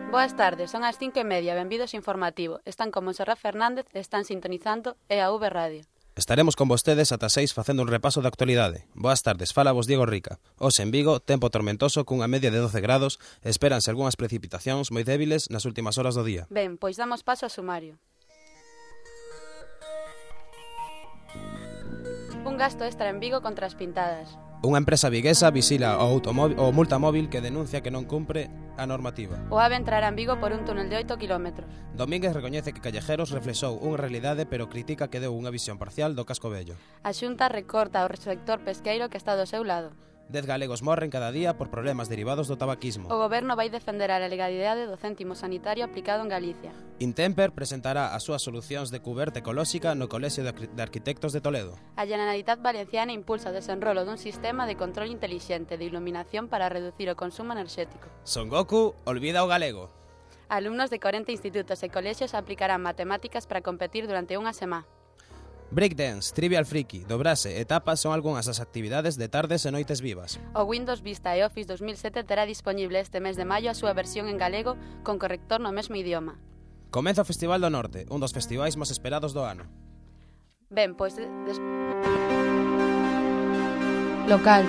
Boas tardes, son as 5:30, benvidos informativo. Están con Monserrat Fernández e están sintonizando EAV Radio. Estaremos con vostedes ata 6 facendo un repaso da actualidade. Boas tardes, fala vos Diego Rica. Hoxe en Vigo, tempo tormentoso cunha media de 12 grados, espéranse algunhas precipitacións moi débiles nas últimas horas do día. Ben, pois damos paso ao sumario. Un gasto extra en Vigo contra as pintadas. Unha empresa viguesa visila o multamóvil que denuncia que non cumpre a normativa. O AVE entrará en Vigo por un túnel de 8 km. Domínguez recoñece que Callejeros reflexou unha realidade, pero critica que deu unha visión parcial do casco vello. A Xunta recorta o sector pesqueiro que está do seu lado. 10 galegos morren cada día por problemas derivados do tabaquismo. O Goberno vai defender a legalidade do céntimo sanitario aplicado en Galicia. Intemper presentará as súas solucións de cuberta ecolóxica no Colexio de Arquitectos de Toledo. A Generalitat Valenciana impulsa o desenrolo dun sistema de control intelixente de iluminación para reducir o consumo enerxético. Son Goku olvida o galego. Alumnos de 40 institutos e colexios aplicarán matemáticas para competir durante unha semana. Breakdance, Trivial Friki, Dobrase e Tapas son algunhas das actividades de tardes e noites vivas. O Windows Vista e Office 2007 terá disponible este mes de maio a súa versión en galego con corrector no mesmo idioma. Comeza o Festival do Norte, un dos festivais máis esperados do ano. Ben, pois... Local.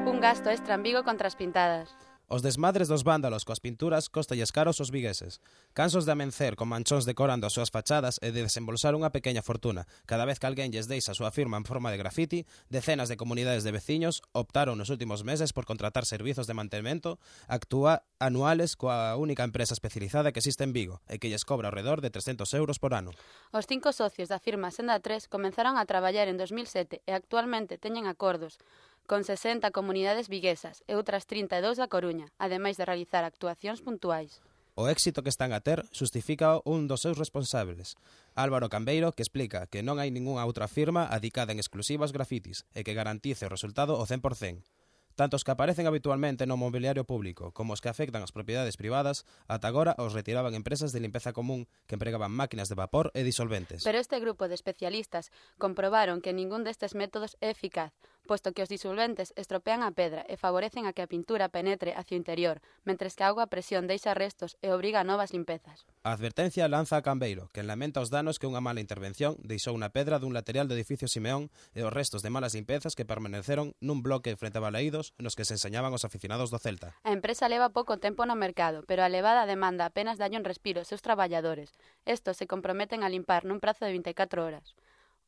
Un gasto extra en Vigo contra as pintadas. Os desmadres dos vándalos coas pinturas cóstalles caros aos vigueses. Cansos de amencer con manchóns decorando as súas fachadas e de desembolsar unha pequena fortuna cada vez que alguén lles deixa a súa firma en forma de grafiti, decenas de comunidades de veciños optaron nos últimos meses por contratar servizos de mantemento anuales coa única empresa especializada que existe en Vigo e que lles cobra ao redor de 300 euros por ano. Os 5 socios da firma Senda 3 comenzaron a traballar en 2007 e actualmente teñen acordos con 60 comunidades viguesas e outras 32 da Coruña, ademais de realizar actuacións puntuais. O éxito que están a ter xustifica un dos seus responsables, Álvaro Cambeiro, que explica que non hai ningunha outra firma adicada en exclusiva aos grafitis e que garantice o resultado ao 100%. Tanto os que aparecen habitualmente no mobiliario público como os que afectan as propiedades privadas, ata agora os retiraban empresas de limpeza común que empregaban máquinas de vapor e disolventes. Pero este grupo de especialistas comprobaron que ningún destes métodos é eficaz, posto que os disolventes estropean a pedra e favorecen a que a pintura penetre hacia o interior, mentres que a auga a presión deixa restos e obriga a novas limpezas. A advertencia lanza a Cambeiro, que lamenta os danos que unha mala intervención deixou na pedra dun lateral do edificio Simeón e os restos de malas limpezas que permaneceron nun bloque frente a Balaídos nos que se enseñaban os aficionados do Celta. A empresa leva pouco tempo no mercado, pero a elevada demanda apenas dalle un respiro aos seus traballadores. Estos se comprometen a limpar nun prazo de 24 horas.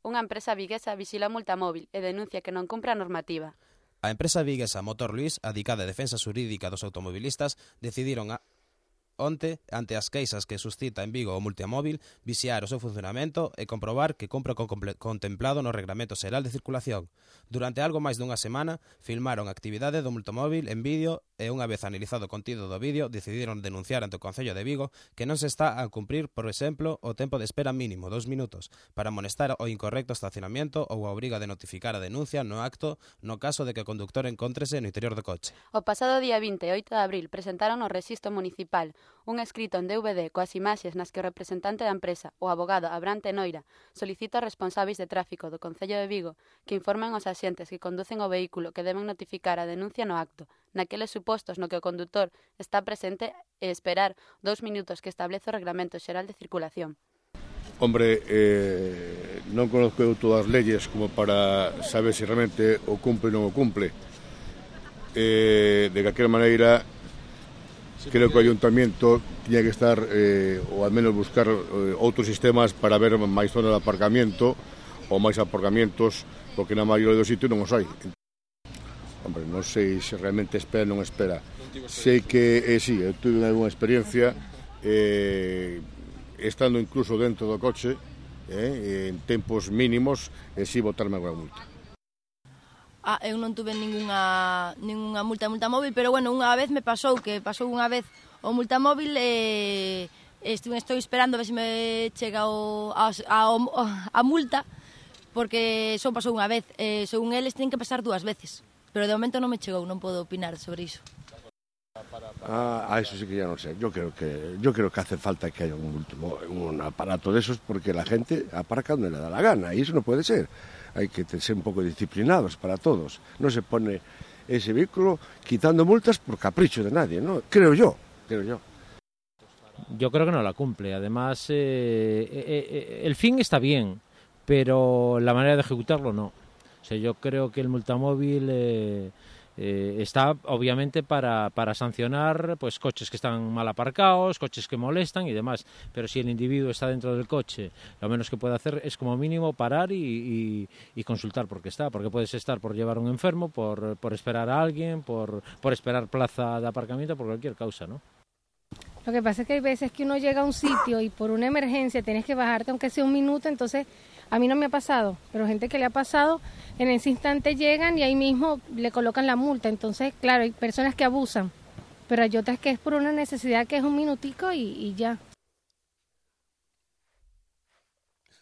Unha empresa viguesa visila o multamóvil e denuncia que non cumpre a normativa. A empresa viguesa Motor Luís, adicada a defensa xurídica dos automobilistas, decidiron onte, ante as queixas que suscita en Vigo o multimóvil, vixiar o seu funcionamento e comprobar que cumpre o contemplado no Reglamento Xeral de Circulación. Durante algo máis dunha semana, filmaron a actividade do multimóvil en vídeo e unha vez analizado o contido do vídeo, decidiron denunciar ante o Concello de Vigo que non se está a cumprir, por exemplo, o tempo de espera mínimo, 2 minutos, para amonestar o incorrecto estacionamento ou a obriga de notificar a denuncia no acto no caso de que o conductor encóntrese no interior do coche. O pasado día 28 de abril presentaron no Rexistro Municipal un escrito en DVD coas imaxes nas que o representante da empresa, o abogado Abraham Tenoira, solicita aos responsáveis de tráfico do Concello de Vigo que informen aos axentes que conducen o vehículo que deben notificar a denuncia no acto, naqueles supostos no que o condutor está presente e esperar 2 minutos que establece o Reglamento Xeral de Circulación. Hombre, non conozco eu todas as leyes como para saber se realmente o cumple ou non o cumple. De calquera maneira, creo que o Ayuntamiento tiña que estar, ou al menos buscar outros sistemas para ver máis zonas de aparcamiento ou máis aparcamientos, porque na maioría dos sitios non os hai. Hombre, non sei se realmente espera ou non espera. Sei que, sí, eu tuve unha experiencia estando incluso dentro do coche en tempos mínimos e si botarme alguna multa. Eu non tuve ningunha multamóvil, pero bueno, unha vez me pasou unha vez o multamóvil e estou esperando a ver se me chega a multa, porque só pasou unha vez, según eles ten que pasar 2 veces, pero de momento non me chegou, non podo opinar sobre iso. Eso sí que ya no sé. Yo creo que hace falta que haya un aparato de esos porque la gente aparca donde le da la gana y eso no puede ser. hai que ser un pouco disciplinados para todos. Non se pone ese vehículo quitando multas por capricho de nadie, ¿no? Creo yo. Yo creo que no la cumple. Además, el fin está bien, pero la manera de ejecutarlo no. O sea, yo creo que el multamóvil está obviamente para sancionar pues coches que están mal aparcados, coches que molestan y demás, pero si el individuo está dentro del coche, lo menos que puede hacer es como mínimo parar y consultar por qué está, porque puedes estar por llevar a un enfermo, por esperar a alguien, por esperar plaza de aparcamiento, por cualquier causa, ¿no? Lo que pasa es que hay veces que uno llega a un sitio y por una emergencia tienes que bajarte aunque sea un minuto, entonces a mí no me ha pasado, pero gente que le ha pasado, en ese instante llegan y ahí mismo le colocan la multa. Entonces, claro, hay personas que abusan, pero hay otras que es por una necesidad que es un minutico y ya.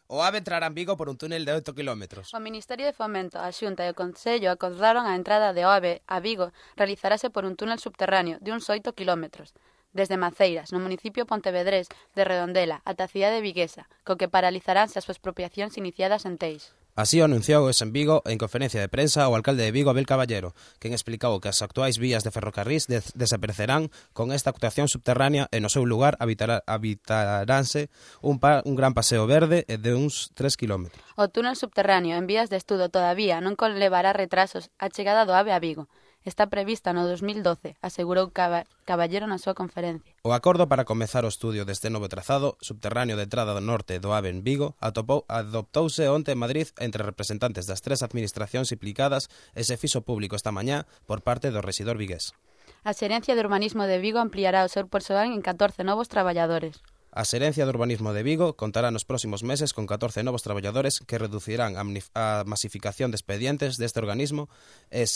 O AVE entrará en Vigo por un túnel de 8 kilómetros. O Ministerio de Fomento, a Xunta e o Concello acordaron a entrada de AVE a Vigo realizarase por un túnel subterráneo de uns 8 kilómetros. Desde Maceiras, no municipio pontevedrés de Redondela, ata a cidade viguesa, co que paralizaránse as expropiacións iniciadas en Teix. Así o anunciou en Vigo en conferencia de prensa o alcalde de Vigo, Abel Caballero, quen explicou que as actuais vías de ferrocarrís desaparecerán con esta actuación subterránea e no seu lugar habitaránse un gran paseo verde de uns 3 kilómetros. O túnel subterráneo en vías de estudo todavía non conlevará retrasos a chegada do AVE a Vigo. Está prevista no 2012, asegurou Caballero na súa conferencia. O acordo para comezar o estudio deste novo trazado subterráneo de entrada do norte do AVE en Vigo adoptouse onte en Madrid entre representantes das 3 administracións implicadas e se fixo público esta mañá por parte do rexidor vigués. A Xerencia de Urbanismo de Vigo ampliará o seu persoal en 14 novos traballadores. A Xerencia de Urbanismo de Vigo contará nos próximos meses con 14 novos traballadores que reducirán a masificación de expedientes deste organismo e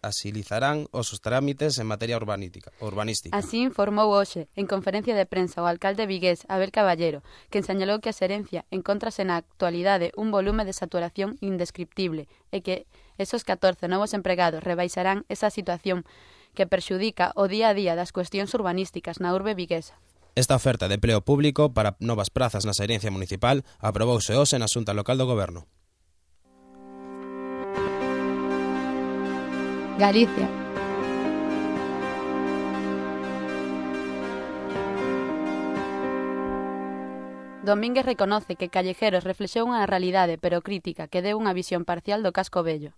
asilizarán os trámites en materia urbanística. Así informou hoxe, en conferencia de prensa, o alcalde vigués Abel Caballero, que señalou que a Xerencia encóntrase na actualidade un volume de saturación indescriptible e que esos 14 novos empregados rebaixarán esa situación que perxudica o día a día das cuestións urbanísticas na urbe viguesa. Esta oferta de empleo público para novas prazas na Xerencia Municipal aprobouse hoxe na Xunta Local do Goberno. Galicia. Domínguez reconoce que Callejeros reflexou unha realidade, pero crítica, que deu unha visión parcial do casco vello.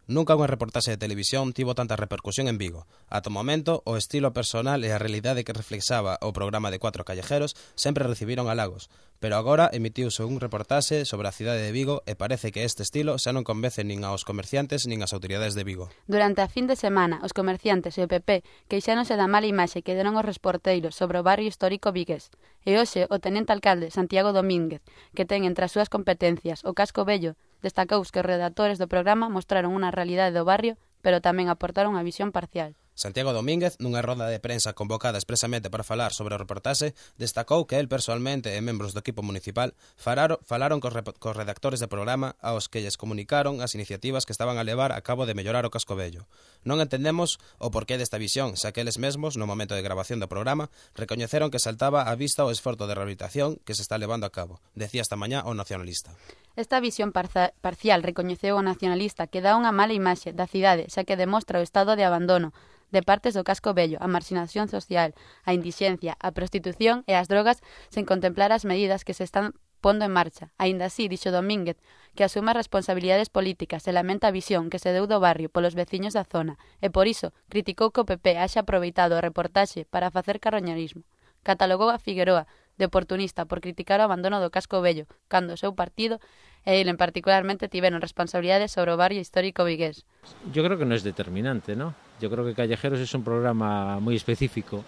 Nunca unha reportaxe de televisión tivo tanta repercusión en Vigo. Ata o momento, o estilo personal e a realidade que reflexaba o programa de 4 callejeros sempre recibiron halagos, pero agora emitiuse un reportaxe sobre a cidade de Vigo e parece que este estilo xa non convence nin aos comerciantes nin ás autoridades de Vigo. Durante a fin de semana, os comerciantes e o PP queixáronse da mala imaxe que deron os reporteiros sobre o barrio histórico vigués. E hoxe, o tenente alcalde Santiago Domínguez, que ten entre as súas competencias o casco vello, destacou que os redactores do programa mostraron unha realidade do barrio, pero tamén aportaron unha visión parcial. Santiago Domínguez, nunha roda de prensa convocada expresamente para falar sobre o reportaxe, destacou que el personalmente e membros do equipo municipal falaron cos redactores do programa aos que lles comunicaron as iniciativas que estaban a levar a cabo de mellorar o casco vello. Non entendemos o porqué desta visión, xa que eles mesmos, no momento de grabación do programa, recoñeceron que saltaba á vista o esforzo de rehabilitación que se está levando a cabo, decía esta mañá o nacionalista. Esta visión parcial recoñeceu o nacionalista que dá unha mala imaxe da cidade, xa que demostra o estado de abandono de partes do casco vello, a marxinación social, a indixencia, a prostitución e as drogas sen contemplar as medidas que se están pondo en marcha. Aínda así, dixo Domínguez, que asume as responsabilidades políticas e lamenta a visión que se deu do barrio polos veciños da zona e por iso criticou que o PP haxa aproveitado a reportaxe para facer carroñerismo. Catalogou a Figueroa de oportunista por criticar o abandono do casco vello, cando o seu partido e ele en particularmente tiveron responsabilidades sobre o barrio histórico vigués. Yo creo que no es determinante, ¿no? Yo creo que Callejeros es un programa muy específico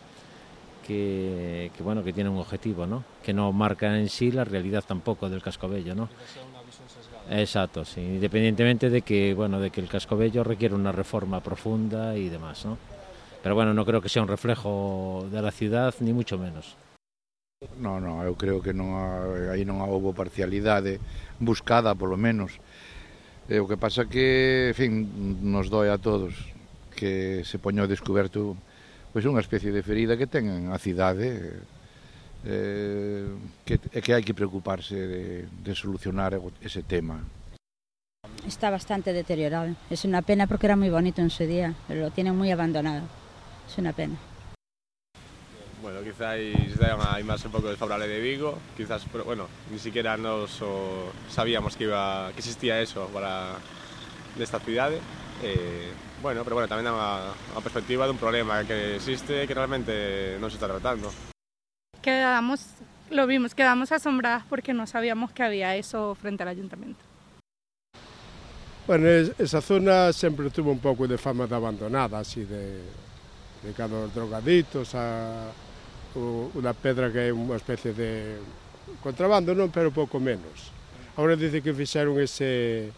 que tiene un objetivo, ¿no? Que no marca en sí la realidad tampoco del casco vello, ¿no? Exacto, sí, independientemente de que el casco vello requiere una reforma profunda y demás, ¿no? Pero bueno, no creo que sea un reflejo de la ciudad, ni mucho menos. No, eu creo que aí non houve parcialidade buscada, polo menos. O que pasa que, en fin, nos doe a todos que se poño descoberto pois unha especie de ferida que ten a cidade que hai que preocuparse de solucionar ese tema. Está bastante deteriorado. Es una pena porque era muy bonito en su día, pero lo tienen muy abandonado. Es una pena. Bueno, quizás hay más un poco desfavorable de Vigo, quizás, pero bueno, ni siquiera sabíamos que existía eso nesta cidade. Bueno, pero bueno, tamén dá unha perspectiva dun problema que existe que realmente non se está tratando. Quedamos asombradas porque no sabíamos que había eso frente al ayuntamiento. Bueno, esa zona sempre tuvo un pouco de fama de abandonada, así de cada drogaditos a unha pedra que é unha especie de contrabando, non, pero pouco menos. Agora dice que fixeron ese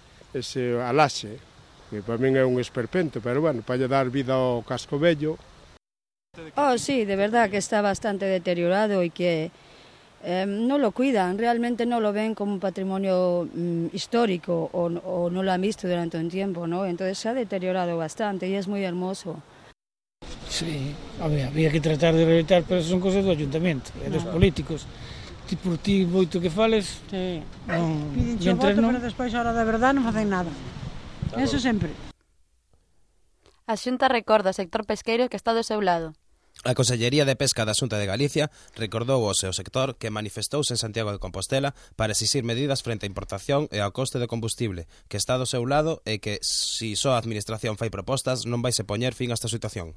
alaxe, que para min é un esperpento, pero bueno, para lle dar vida ao casco vello. Sí, de verdad que está bastante deteriorado y que no lo cuidan, realmente no lo ven como un patrimonio histórico o no lo han visto durante un tiempo, ¿no? Entonces se ha deteriorado bastante y es muy hermoso. Sí, había que tratar de rehabilitar, pero eso son cosas do ayuntamiento, e dos políticos. Por ti moito que fales, piden o voto, pero despois a hora da verdade non facen nada. Eso sempre. A Xunta recorda ao sector pesqueiro que está do seu lado. A Consellería de Pesca da Xunta de Galicia recordou ao seu sector que manifestouse en Santiago de Compostela para exixir medidas frente á importación e ao coste de combustible, que está do seu lado e que, se só a Administración fai propostas, non vai se poñer fin a esta situación.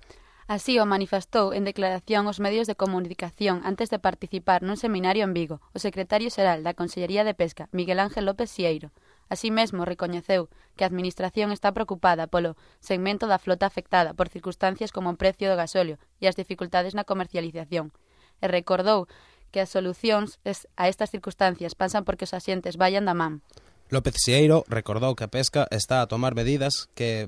Así o manifestou en declaración aos medios de comunicación antes de participar nun seminario en Vigo o secretario xeral da Consellería de Pesca, Miguel Ángel López Sieiro. Así mesmo recoñeceu que a Administración está preocupada polo segmento da flota afectada por circunstancias como o precio do gasóleo e as dificultades na comercialización. E recordou que as solucións a estas circunstancias pasan porque os asientes vayan da man. López Sieiro recordou que a pesca está a tomar medidas que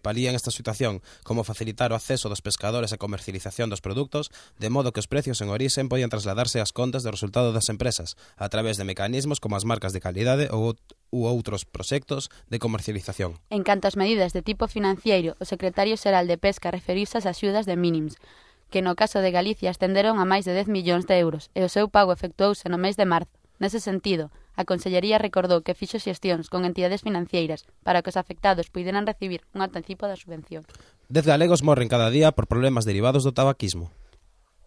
palían esta situación, como facilitar o acceso dos pescadores á comercialización dos produtos, de modo que os precios en orixen poidan trasladarse ás contas do resultado das empresas, a través de mecanismos como as marcas de calidade ou outros proxectos de comercialización. En canto ás medidas de tipo financiero, o secretario xeral de Pesca referiuse ás axudas de mínims, que no caso de Galicia ascenderon a máis de 10 millóns de euros e o seu pago efectuouse no mes de marzo. Nese sentido, a Consellería recordou que fixo xestións con entidades financeiras para que os afectados puideran recibir un anticipo da subvención. 10 galegos morren cada día por problemas derivados do tabaquismo.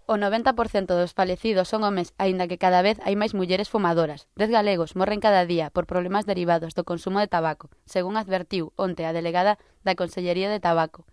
O 90% dos falecidos son homes, aínda que cada vez hai máis mulleres fumadoras. 10 galegos morren cada día por problemas derivados do consumo de tabaco, según advertiu onte a delegada da Consellería de Tabaco.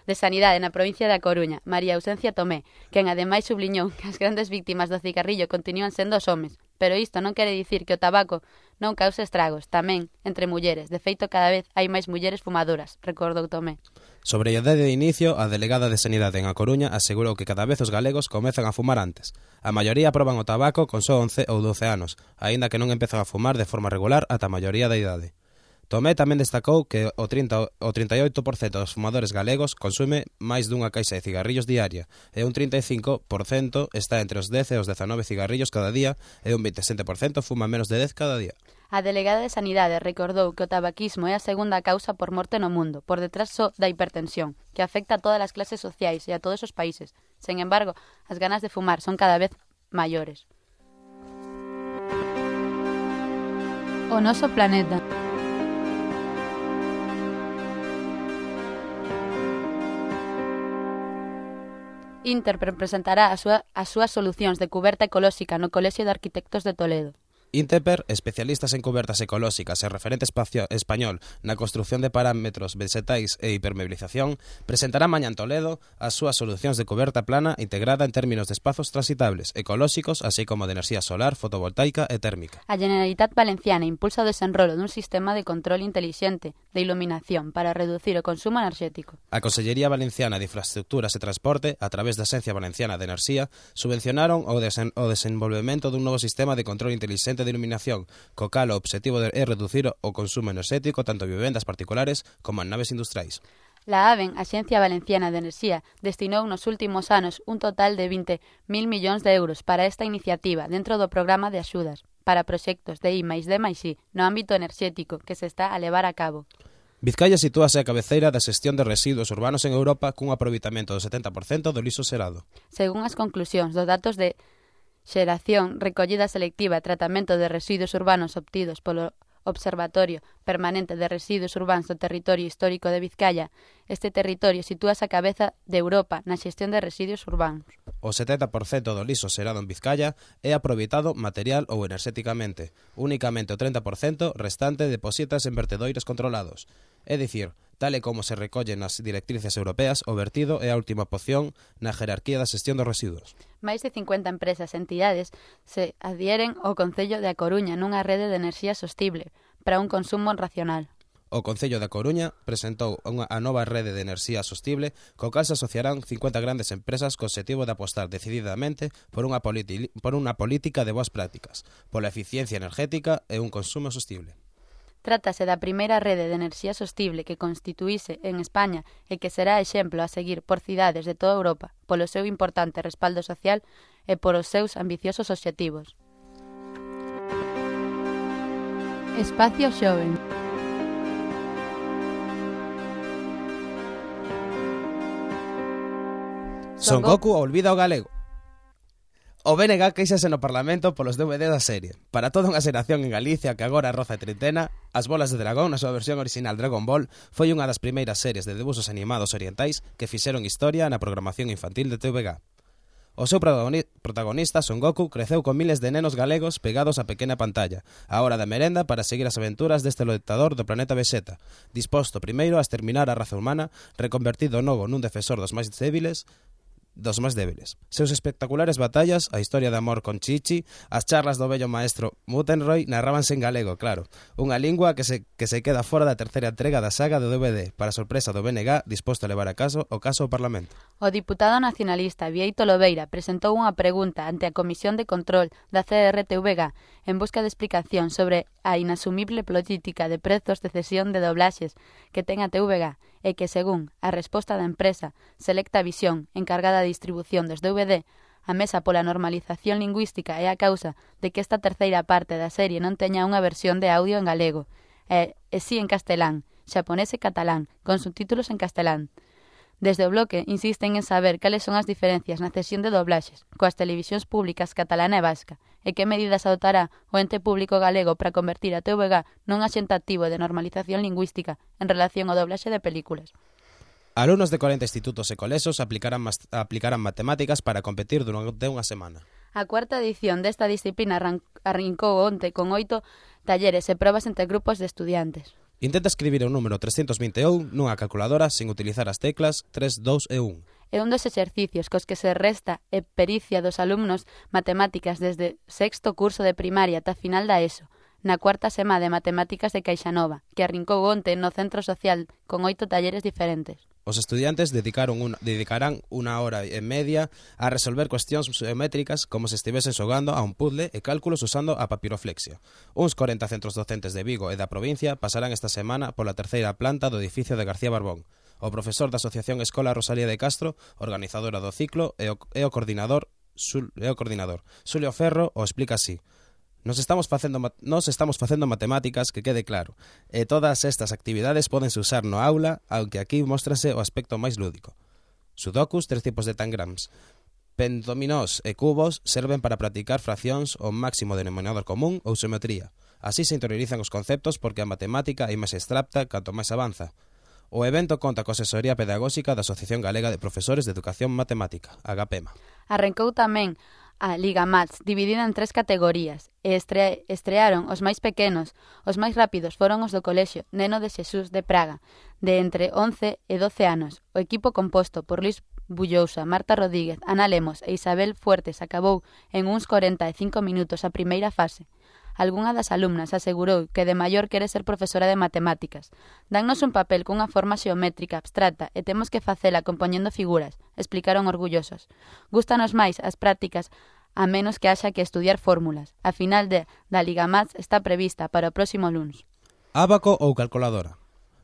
De Sanidade na provincia da Coruña, María Ausencia Tomé, quen ademais subliñou que as grandes víctimas do cigarrillo continúan sendo os homes, pero isto non quere dicir que o tabaco non cause estragos, tamén entre mulleres. De feito, cada vez hai máis mulleres fumadoras, recordou Tomé. Sobre a idade de inicio, a delegada de Sanidade en A Coruña asegurou que cada vez os galegos comezan a fumar antes. A maioría proban o tabaco con só 11 ou 12 anos, aínda que non empezan a fumar de forma regular ata a maioría da idade. Tomé tamén destacou que o 38% dos fumadores galegos consume máis dunha caixa de cigarrillos diaria e un 35% está entre os 10 e os 19 cigarrillos cada día e un 27% fuma menos de 10 cada día. A delegada de Sanidade recordou que o tabaquismo é a segunda causa por morte no mundo, por detrás só da hipertensión, que afecta a todas as clases sociais e a todos os países. Sen embargo, as ganas de fumar son cada vez maiores. O noso planeta. Interprem presentará as súas solucións de cuberta ecolóxica no Colexio de Arquitectos de Toledo. Interper, especialistas en cubertas ecolóxicas e referente español na construción de parámetros vegetais e hipermeabilización, presentará mañá en Toledo as súas solucións de cuberta plana integrada en términos de espazos transitables, ecolóxicos, así como de enerxía solar, fotovoltaica e térmica. A Generalitat Valenciana impulsa o desenrolo dun sistema de control intelixente de iluminación para reducir o consumo enerxético. A Consellería Valenciana de Infraestructuras e Transporte, a través da Axencia Valenciana de Enerxía, subvencionaron o desenvolvemento dun novo sistema de control intelixente de iluminación, co cal o obxectivo é reducir o consumo enerxético tanto en vivendas particulares como en naves industriais. La AVEN, Axencia Valenciana de Enerxía, destinou nos últimos anos un total de 20.000 millóns de euros para esta iniciativa dentro do programa de axudas para proxectos de I+D+I no ámbito enerxético que se está a levar a cabo. Vizcaya sitúase a cabeceira da xestión de residuos urbanos en Europa cun aproveitamento do 70% do lixo xerado. Según as conclusións dos datos de xeración, recollida selectiva e tratamento de residuos urbanos obtidos polo Observatorio Permanente de Residuos Urbáns do Territorio Histórico de Vizcaya. Este territorio sitúase a cabeza de Europa na xestión de residuos urbanos. O 70% do lixo xerado en Vizcaya é aproveitado material ou enerxéticamente. Únicamente o 30% restante deposítas en vertedoiros controlados. É dicir, tal e como se recolle nas directrices europeas, o vertido é a última opción na jerarquía da xestión dos residuos. Máis de 50 empresas e entidades se adhieren ao Concello de A Coruña nunha rede de enerxía sostible para un consumo racional. O Concello da Coruña presentou a nova rede de enerxía sostible co cal se asociarán 50 grandes empresas co obxectivo de apostar decididamente por unha política de boas prácticas, pola eficiencia energética e un consumo sostible. Trátase da primeira rede de enerxía sostible que constituíse en España e que será exemplo a seguir por cidades de toda Europa polo seu importante respaldo social e por os seus ambiciosos obxectivos. Espacio Xoven. Son Goku olvida o galego. O BNG queixase no Parlamento polos DVD da serie. Para toda unha xeración en Galicia que agora roza a trintena, As Bolas de Dragón, na súa versión original Dragon Ball, foi unha das primeiras series de debuxos animados orientais que fixeron historia na programación infantil de TVG. O seu protagonista, Son Goku, creceu con miles de nenos galegos pegados á pequena pantalla, á hora da merenda para seguir as aventuras deste loitador do planeta Vegeta, disposto primeiro a exterminar a raza humana, reconvertido novo nun defensor dos máis débiles. Seus espectaculares batallas, a historia de amor con Chichi, as charlas do vello maestro Mutenroy narrábanse en galego, claro, unha lingua que se queda fora da terceira entrega da saga do DVD, para sorpresa do BNG disposto a levar a caso o caso ao Parlamento. O diputado nacionalista Bieito Lobeira presentou unha pregunta ante a Comisión de Control da CRTVG en busca de explicación sobre a inasumible política de prezos de cesión de doblaxes que ten a TVG e que, según a resposta da empresa Selecta Visión, encargada de distribución dos DVD, a Mesa pola Normalización Lingüística é a causa de que esta terceira parte da serie non teña unha versión de audio en galego, e si en castelán, xaponés e catalán, con subtítulos en castelán. Desde o bloque insisten en saber cales son as diferencias na cesión de doblaxes coas televisións públicas catalana e vasca e que medidas adoptará o ente público galego para convertir a TVG nun axente activo de normalización lingüística en relación ao doblaxe de películas. Alumnos de 40 institutos e colexios aplicarán matemáticas para competir durante unha semana. A cuarta edición desta disciplina arrancou onte con 8 talleres e probas entre grupos de estudiantes. Intenta escribir o número 321 nunha calculadora sen utilizar as teclas 3, 2 e 1. É un dos exercicios cos que se resta e pericia dos alumnos matemáticas desde sexto curso de primaria ata final da ESO, na cuarta semana de matemáticas de Caixanova, que arrincou onte no centro social con 8 talleres diferentes. Os estudiantes dedicarán unha hora e media a resolver cuestións geométricas como se estivesen xogando a un puzzle e cálculos usando a papiroflexia. Uns 40 centros docentes de Vigo e da provincia pasarán esta semana pola terceira planta do edificio de García Barbón. O profesor da Asociación Escola Rosalía de Castro, organizadora do ciclo, e o coordinador Xulio Ferro o explica así. Nos estamos facendo matemáticas, que quede claro, e todas estas actividades pódense usar no aula, aunque aquí móstrase o aspecto máis lúdico. Sudokus, 3 tipos de tangrams. Pendominós e cubos serven para practicar fraccións o máximo denominador común ou xeometría. Así se interiorizan os conceptos porque a matemática é máis abstracta canto máis avanza. O evento conta coa asesoría pedagóxica da Asociación Galega de Profesores de Educación Matemática, AGAPEMA. Arrancou tamén a Liga Mats, dividida en 3 categorías, e estrearon os máis pequenos. Os máis rápidos foron os do colexio Neno de Xesús de Praga, de entre 11 e 12 anos. O equipo composto por Luis Bullousa, Marta Rodríguez, Ana Lemos e Isabel Fuertes acabou en uns 45 minutos a primeira fase. Algunha das alumnas asegurou que de maior quere ser profesora de matemáticas. Dannos un papel cunha forma xeométrica abstracta e temos que facela compoñendo figuras, explicaron orgullosos. Gústanos máis as prácticas a menos que haxa que estudiar fórmulas. A final da Liga Mats está prevista para o próximo luns. Ábaco ou calculadora.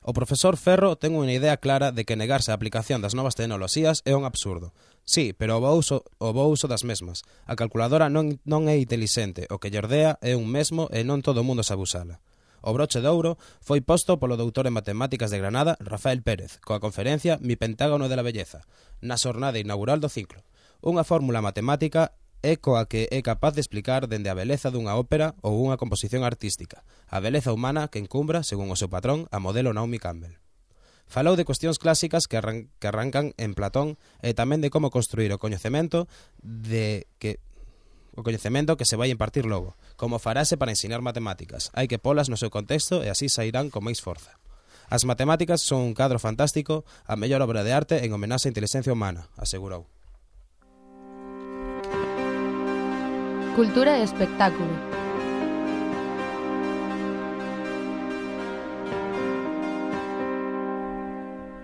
O profesor Ferro ten unha idea clara de que negarse a aplicación das novas tecnoloxías é un absurdo. Sí, pero o bo uso das mesmas. A calculadora non é intelixente, o que lle ordea é un mesmo e non todo o mundo sabe usala. O broche de ouro foi posto polo doutor en matemáticas de Granada, Rafael Pérez, coa conferencia Mi Pentágono de la Belleza, na xornada inaugural do ciclo. Unha fórmula matemática é coa que é capaz de explicar dende a beleza dunha ópera ou unha composición artística, a beleza humana que encumbra, según o seu patrón, a modelo Naomi Campbell. Falou de cuestións clásicas que arrancan en Platón e tamén de como construir o coñecemento que se vai impartir logo, como farase para ensinar matemáticas. Hai que polas no seu contexto e así sairán con máis forza. As matemáticas son un cadro fantástico, a mellor obra de arte en homenaxe á inteligencia humana, asegurou. Cultura e espectáculo.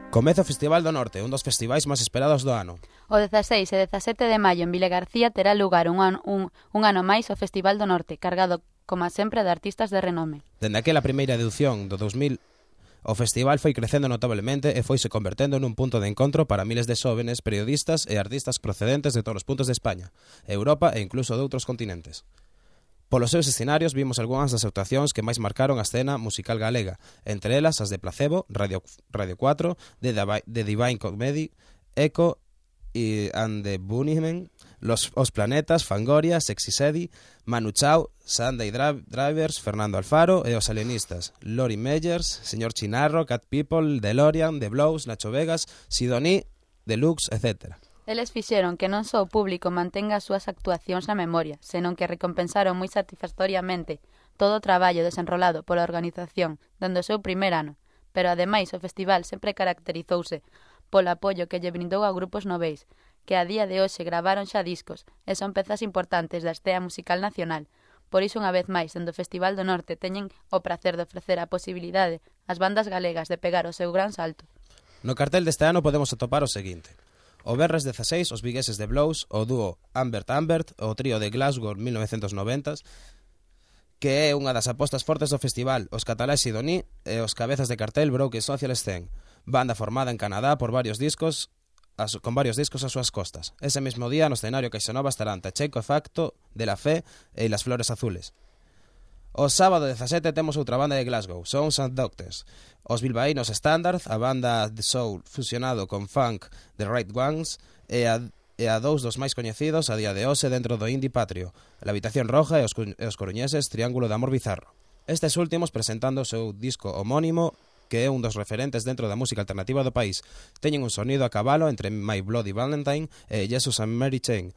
Comeza o Festival do Norte, un dos festivais máis esperados do ano. O 16 e 17 de maio en Vilagarcía terá lugar un ano máis o Festival do Norte, cargado, como sempre, de artistas de renome. Dende aquela primeira edición do 2000, o festival foi crecendo notablemente e foise convertendo nun punto de encontro para miles de xóvenes, periodistas e artistas procedentes de todos os puntos de España, Europa e incluso de outros continentes. Polos seus escenarios vimos algunhas das actuacións que máis marcaron a escena musical galega, entre elas as de Placebo, Radio 4, de Divine Comedy, Echo and the Bunnymen, Os Planetas, Fangoria, Sexy Sedi, Manu Chao, Sunday Drivers, Fernando Alfaro e os alienistas, Lori Meyers, Señor Chinarro, Cat People, DeLorean, The Blows, Nacho Vegas, Sidoní, Deluxe, etc. Eles fixeron que non só o público mantenga as súas actuacións na memoria, senón que recompensaron moi satisfactoriamente todo o traballo desenrolado pola organización dende o seu primer ano, pero ademais o festival sempre caracterizouse polo apoio que lle brindou a grupos noveis, que a día de hoxe gravaron xa discos e son pezas importantes da escena musical nacional. Por iso, unha vez máis, dende o Festival do Norte teñen o prazer de ofrecer a posibilidade ás bandas galegas de pegar o seu gran salto. No cartel deste ano podemos atopar o seguinte: o Venres 16, os vigueses de Blows, o dúo Ambert, o trío de Glasgow 1990s, que é unha das apostas fortes do festival, os cataláes Sidoní e os cabezas de cartel Broken Social Scene, banda formada en Canadá por varios discos, con varios discos ás súas costas. Ese mesmo día no escenario Caixanova estarán Tacheco Facto, De La Fe e Las Flores Azules. O sábado 17 temos outra banda de Glasgow, Sons and Doctors. Os bilbaínos Standard, a banda de soul fusionado con funk The Right Ones, e a dous dos máis coñecidos a día de hoxe dentro do indie patrio, La Habitación Roja e os coruñeses Triángulo de Amor Bizarro. Estes últimos presentando o seu disco homónimo, que é un dos referentes dentro da música alternativa do país. Teñen un sonido a cabalo entre My Bloody Valentine e Jesus and Mary Chain,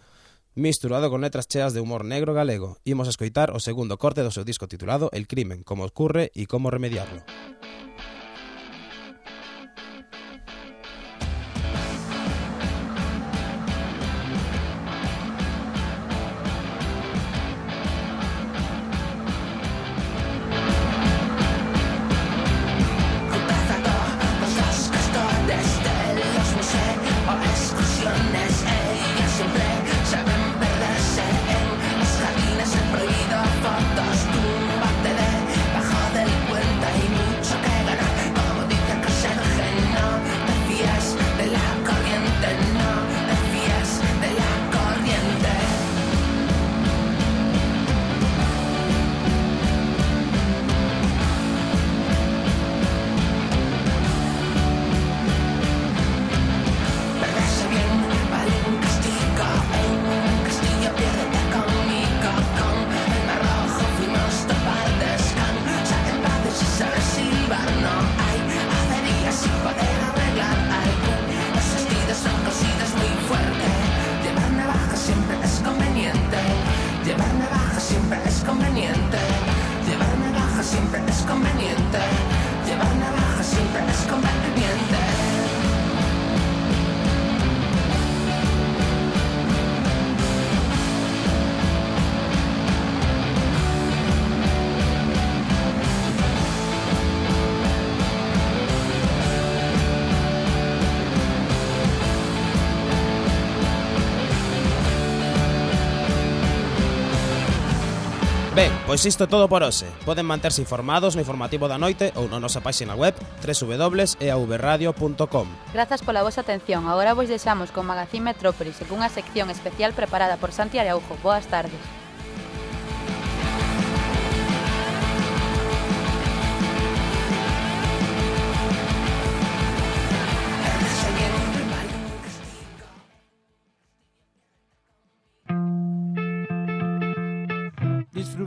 misturado con letras cheas de humor negro galego. Imos a escoitar o segundo corte do seu disco titulado El crimen, como ocurre e como remediarlo. Ben, pois isto todo por hoxe. Poden manterse informados no informativo da noite ou na nosa páxina web www.eavradio.com. Grazas pola vosa atención. Agora vos deixamos con Magazín Metrópolis e cunha sección especial preparada por Santi Araujo. Boas tardes.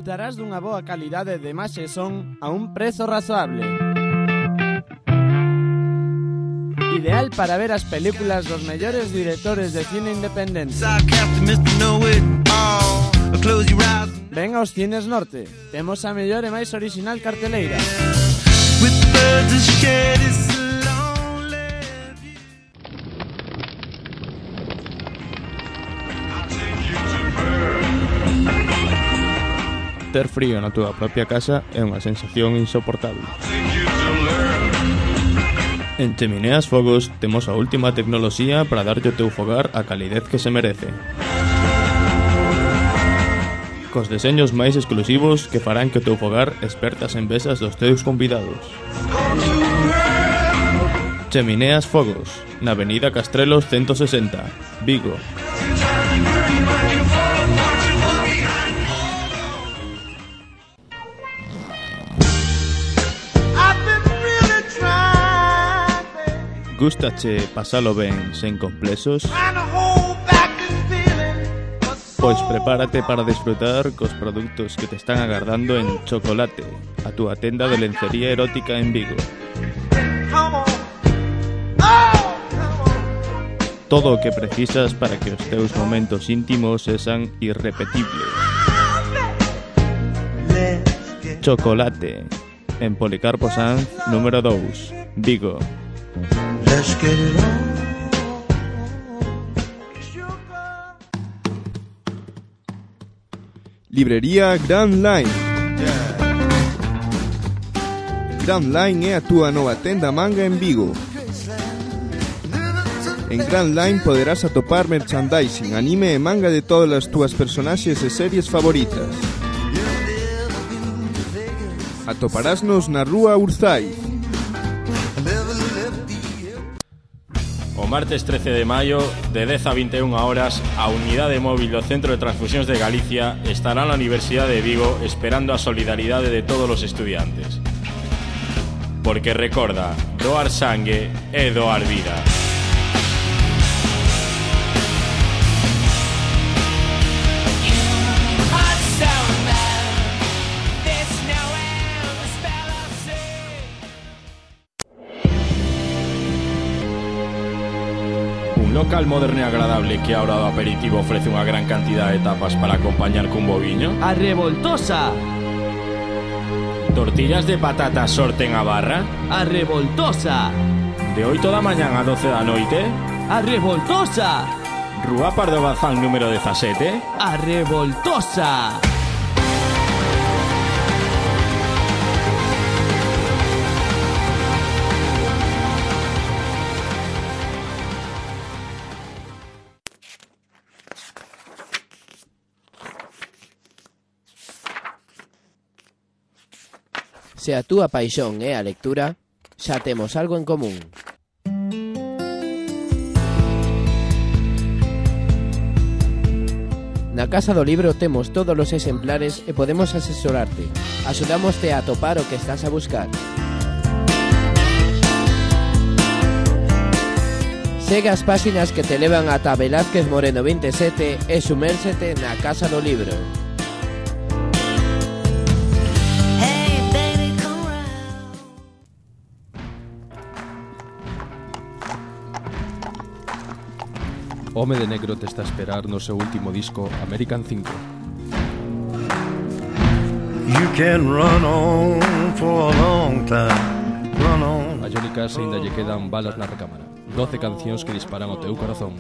disfrutarás dunha boa calidade de imaxe e son a un prezo razoable. Ideal para ver as películas dos mellores directores de cine independente. Ven aos Cines Norte. Temos a mellor e máis original carteleira. Ter frío na túa propia casa é unha sensación insoportable. En Chemineas Fogos temos a última tecnoloxía para darlle ao teu fogar a calidez que se merece. Cos deseños máis exclusivos que farán que o teu fogar esperta as envexas dos teus convidados. Chemineas Fogos, na avenida Castrelos 160, Vigo. Gústache pasalo ben sen complexos? Pois prepárate para disfrutar cos produtos que te están agardando en Chocolate, a túa tenda de lencería erótica en Vigo. Todo o que precisas para que os teus momentos íntimos sexan irrepetibles. Chocolate, en Policarpo Sanz, número 2, Vigo. Librería Grand Line. Grand Line é a túa nova tenda manga en Vigo. En Grand Line poderás atopar merchandising, anime e manga de todas as túas personaxes e series favoritas. Atoparásnos na rúa Urzai. O martes 13 de maio, de 10 a 21 horas, a unidade móvil do Centro de Transfusións de Galicia estará na Universidade de Vigo esperando a solidaridade de todos os estudiantes. Porque recorda, doar sangue é doar vida. Local moderno e agradable que a hora do aperitivo ofrece unha gran cantidad de tapas para acompañar cun boviño. A Revoltosa. Tortillas de patata sorten a barra. A Revoltosa. De 8 da mañán a 12 da noite. A Revoltosa. Rúa Pardo Bazán número 17. A Revoltosa. Se a túa paixón é a lectura, xa temos algo en común. Na Casa do Libro temos todos os exemplares e podemos asesorarte. Axudámoste a atopar o que estás a buscar. Segue as páxinas que te levan ata Velázquez Moreno 27 e sumérsete na Casa do Libro. Home de Negro te está a esperar no seu último disco American 5. You can run on for a long time. Run on. A Johnny Cash ainda lle quedan balas na recámara. 12 cancións que disparan o teu corazón.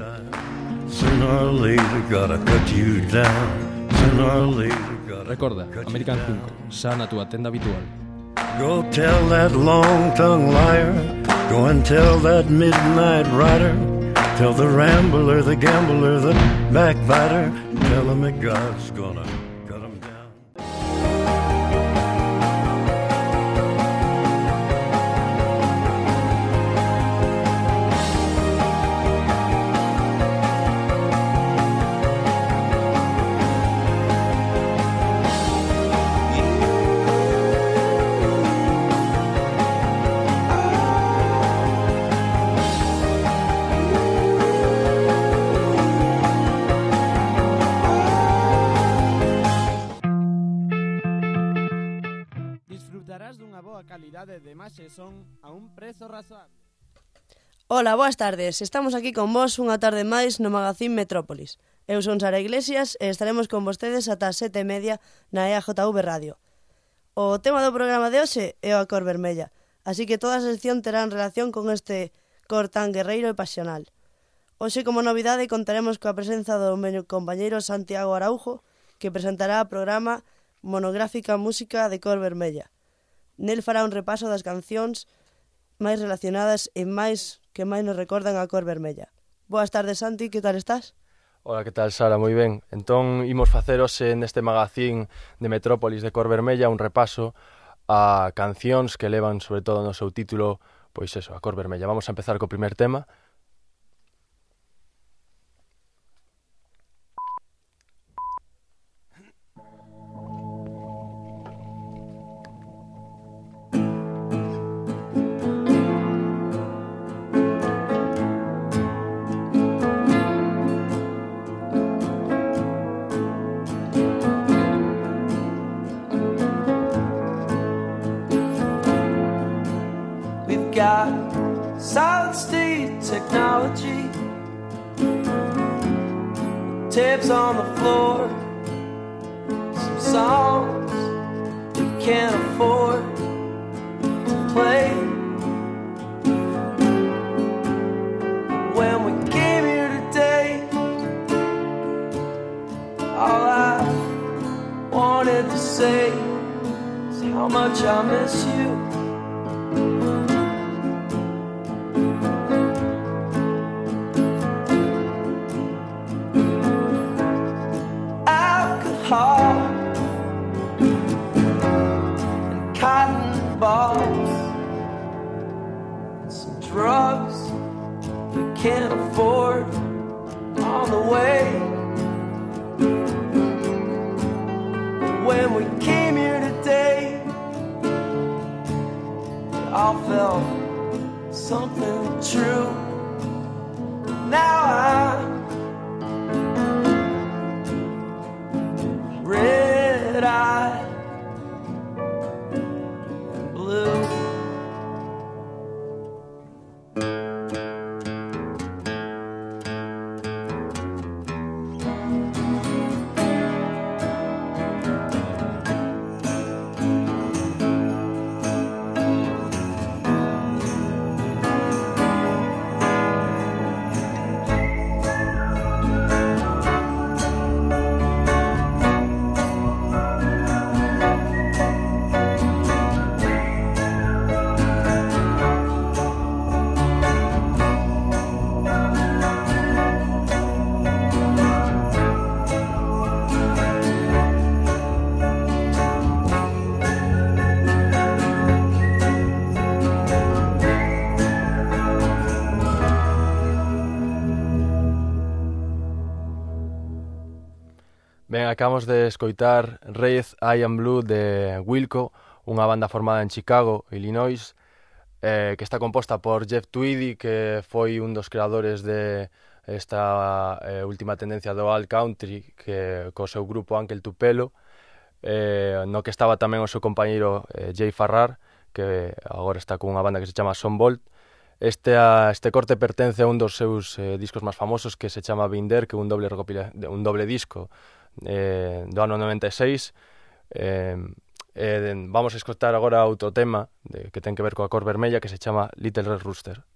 Sooner or later gotta cut you down. Sooner or later. Recorda, American 5, xa na túa tenda habitual. Go tell that long-tongued liar. Go and tell that midnight rider. Tell the rambler, the gambler, the backbiter. Tell him that God's gonna cut him down. rede de imaxe e son a un prezo razoable. Ola, boas tardes. Estamos aquí con vos unha tarde máis no Magazín Metrópolis. Eu son Sara Iglesias e estaremos con vostedes ata as 7:30 na EAJV Radio. O tema do programa de hoxe é a cor vermella, así que toda a sección terá en relación con este cor tan guerreiro e pasional. Hoxe, como novidade, contaremos coa presenza do meu compañeiro Santiago Araujo, que presentará o programa Monográfica Música de Cor Vermella. Nel fará un repaso das cancións máis relacionadas e máis que máis nos recordan a cor vermella. Boas tardes, Santi, que tal estás? Hola, que tal, Sara? Moi ben. Entón, imos facer hoxe neste magazín de Metrópolis de Cor Vermella un repaso a cancións que levan, sobre todo no seu título, pois eso, a cor vermella. Vamos a empezar co primer tema. Got solid state technology, tapes on the floor, some songs we can't afford to play. When we came here today, all I wanted to say is how much I miss you. And cotton balls, some drugs we can't afford on the way. When we came here today, we all felt something true. Now I'm red-eyed and blue. Ben, acabamos de escoitar Red, I Am Blue de Wilco, unha banda formada en Chicago, Illinois, que está composta por Jeff Tweedy, que foi un dos creadores de esta última tendencia do alt country, que co seu grupo Uncle Tupelo, no que estaba tamén o seu compañeiro Jay Farrar, que agora está con unha banda que se chama Son Bolt. Este corte pertence a un dos seus discos máis famosos, que se chama Binder, que é un doble disco do ano 96. Vamos a escoitar agora outro tema que ten que ver coa cor vermella, que se chama Little Red Rooster.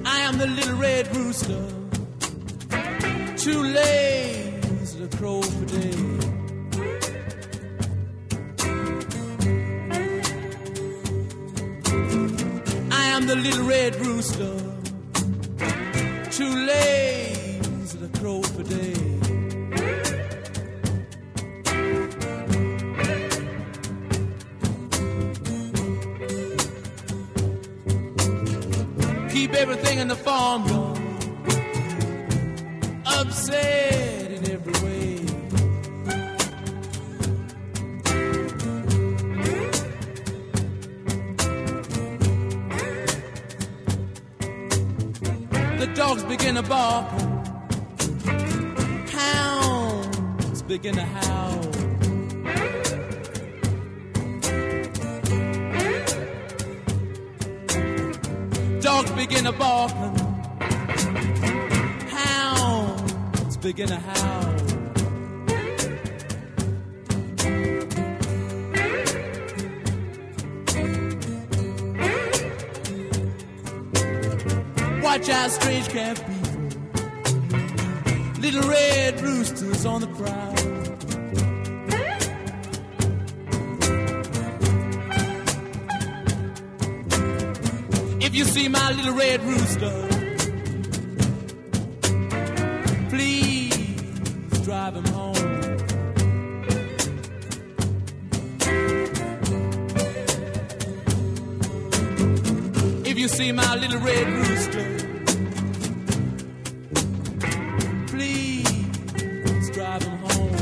I am the little red rooster, too lazy to crow for day. I am the little red rooster, too lazy to crow for day. Keep everything in the farmyard upset in every way. the dogs begin to bark, hounds begin to howl. Dogs begin to bark, hounds begin to howl. Watch out, strange camp people, little red roosters on the prowl. If you see my little red rooster, please drive him home. If you see my little red rooster, please drive him home.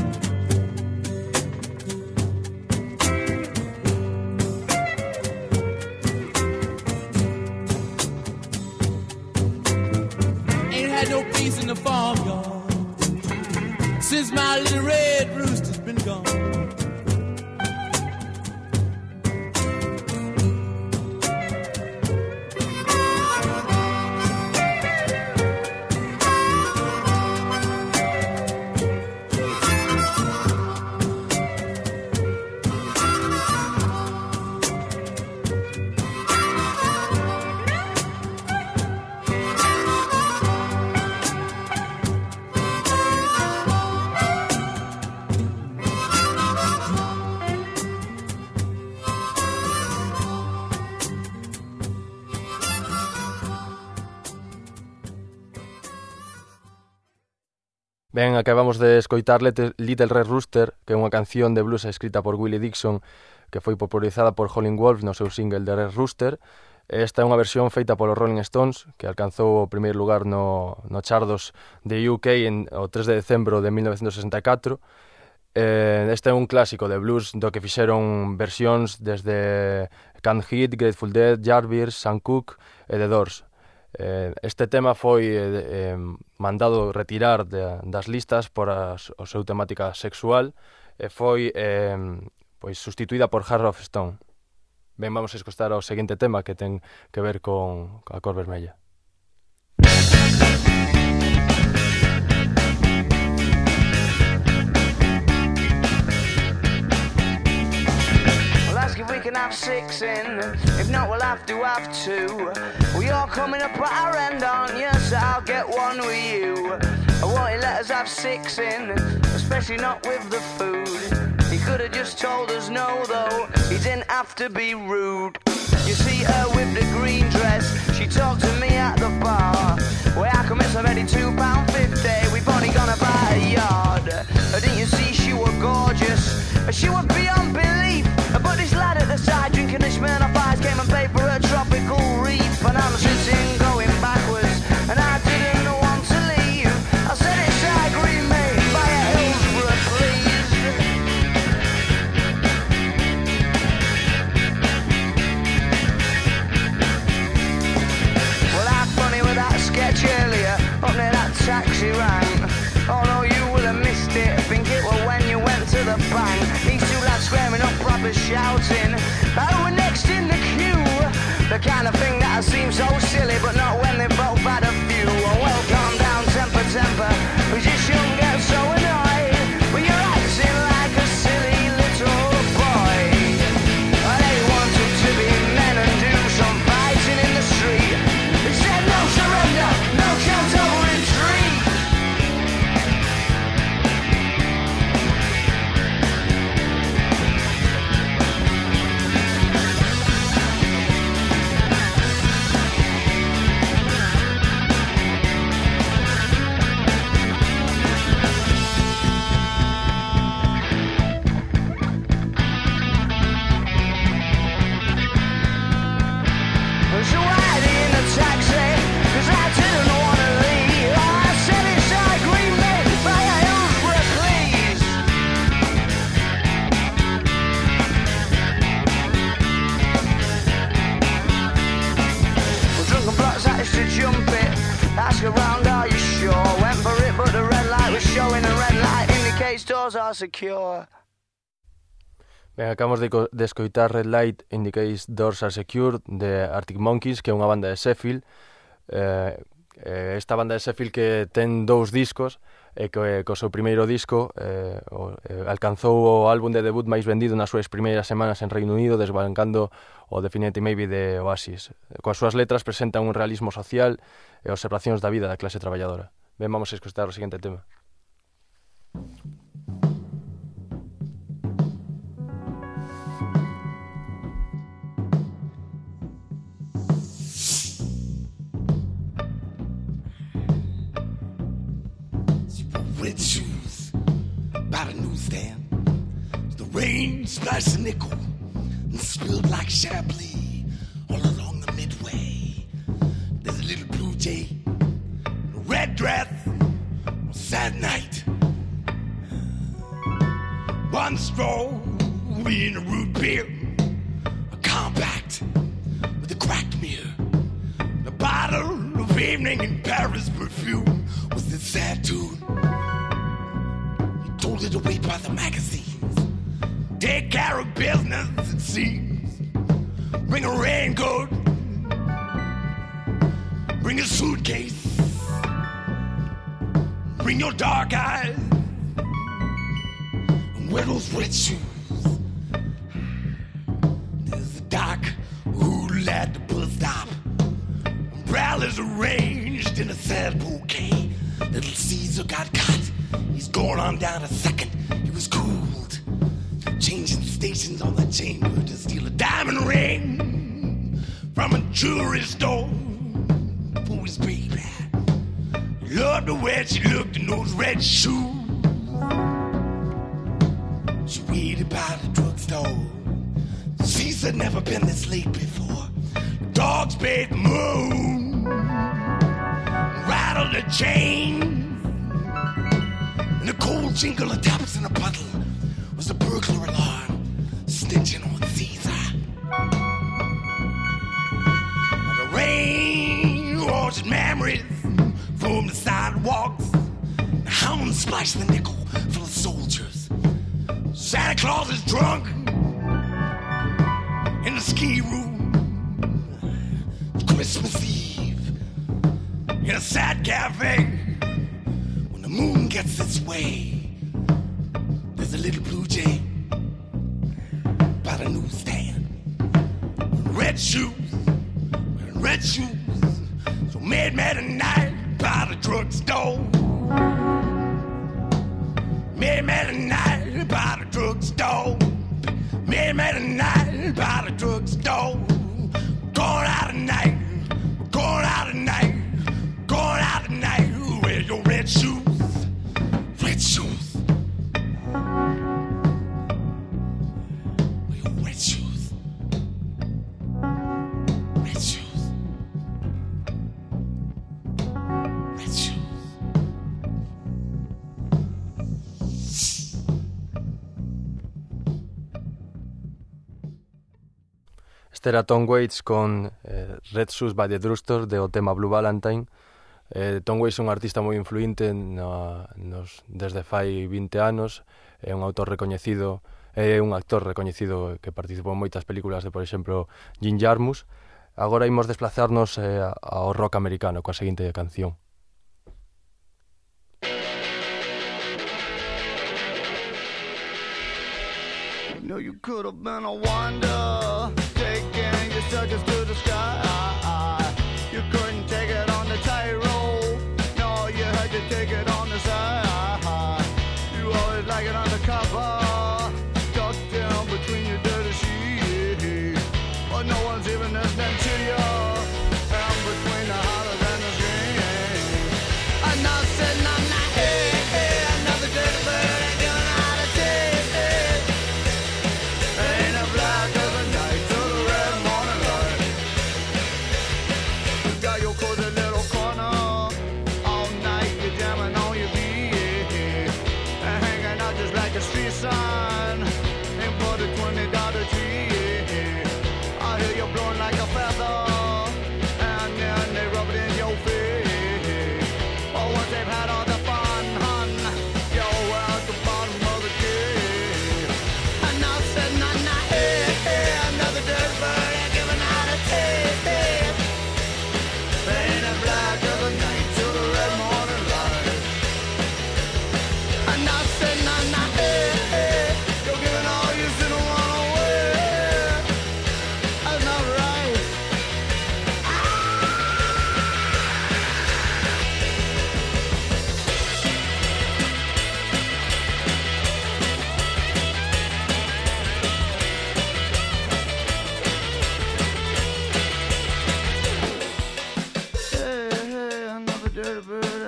Ain't had no peace in the farmyard since my little red rooster's been gone. Ben, acabamos de escoitar Little Red Rooster, que é unha canción de blues escrita por Willie Dixon, que foi popularizada por Howlin' Wolf no seu single de Red Rooster. Esta é unha versión feita polos Rolling Stones, que alcanzou o primeiro lugar no chardos de UK o 3 de decembro de 1964. Este é un clásico de blues do que fixeron versións desde Canned Heat, Grateful Dead, Yardbirds, Sam Cooke e The Doors. Este tema foi mandado retirar das listas por a súa temática sexual e foi pois sustituída por Heart of Stone. Ben, vamos a escoitar o seguinte tema que ten que ver con a cor vermella. If we can have 6 in, if not we'll have to have 2. Well, you're coming up at our end, aren't you? So I'll get one with you. I won't let us have 6 in, especially not with the food. He could have just told us no though, he didn't have to be rude. You see her with the green dress, she talked to me at the bar. Well, how come it's already £2.50? We've only gone about a yard. Didn't you see she was gorgeous? She was beyond belief. But this lad at the side drinking the Smirnoff Ice came and paid for a tropical reef. And I'm sitting going backwards, and I didn't want to leave. I said it's I agree, mate, buy a Hillsborough, please. Well, how funny with that sketch earlier, up near that taxi rank. Oh no, you would have missed it, I think it was when you went to the bank. These two lads squaring up, proper shouting, oh, we're next in the queue. The kind of thing that seems so silly, but not when they both had a few. Well, calm down, temper, temper, we just shouldn't get so annoyed when you're acting like a silly little boy. They wanted to be men and do some fighting in the street. They said no surrender, no chance of retreat. these doors are secure. Ben, acabamos de escoitar Red Light in the Case Doors Are Secure de Arctic Monkeys, que é unha banda de Sheffield. Esta banda de Sheffield que ten 2 discos e que co seu primeiro disco alcanzou o álbum de debut máis vendido nas súas primeiras semanas en Reino Unido, desbancando o Definitely Maybe de Oasis. Coas súas letras presentan un realismo social e observacións da vida da clase traballadora. Ben, vamos a escoitar o seguinte tema. Red shoes by the newsstand. The rain splashed a nickel and spilled like Chablis all along the midway. There's a little blue jay, a red dress, a sad night. One straw in a root beer, a compact with a cracked mirror, a bottle of evening in Paris perfume was this sad tune. Told it away by the magazines. Take care of business, it seems. Bring a raincoat. Bring a suitcase. Bring your dark eyes. And wear those red shoes. There's a dock who'll at the bus stop. Umbrellas arranged in a sad bouquet. Little Caesar got caught. He's going on down a second. He was cooled, changing stations on the chamber to steal a diamond ring from a jewelry store for his baby. Loved the way she looked in those red shoes. She waited by the drugstore. Caesar never been this late before. The dogs paid the moon, rattled the chain. And a cold jingle of taps in a puddle was a burglar alarm snitching on Caesar. And the rain washed memories from the sidewalks. The hounds splashed the nickel full of soldiers. Santa Claus is drunk in the ski room. It's Christmas Eve in a sad cafe. Moon gets its way. There's a little blue jay by the newsstand. Red shoes, red shoes. So mad at night by the drugstore. Mad at night by the drugstore. Mad at night by the drugstore. Going out tonight, going out tonight, going out tonight. Wear your red shoes. Red shoes. Your red shoes. Red shoes. Red shoes. Este era Tom Waits con Red Shoes by the Drugstore de o tema Blue Valentine. Tom Waits é un artista moi influinte desde fai 20 anos, é un autor recoñecido, é un actor recoñecido que participou en moitas películas de, por exemplo, Jim Jarmusch. Agora imos desplazarnos ao rock americano coa seguinte canción. No, you could have been a wonder, taking your circus to the sky. You couldn't take it on the tightrope. No, you had to take it on the side. You always like it undercover, tucked down between your dirty sheets. But no one's even listening to you. Found between the hollers and the screams. I'm not sitting on that. Hey, another dirty bird ain't doing how to take it. Ain't a black as a night to the red morning light.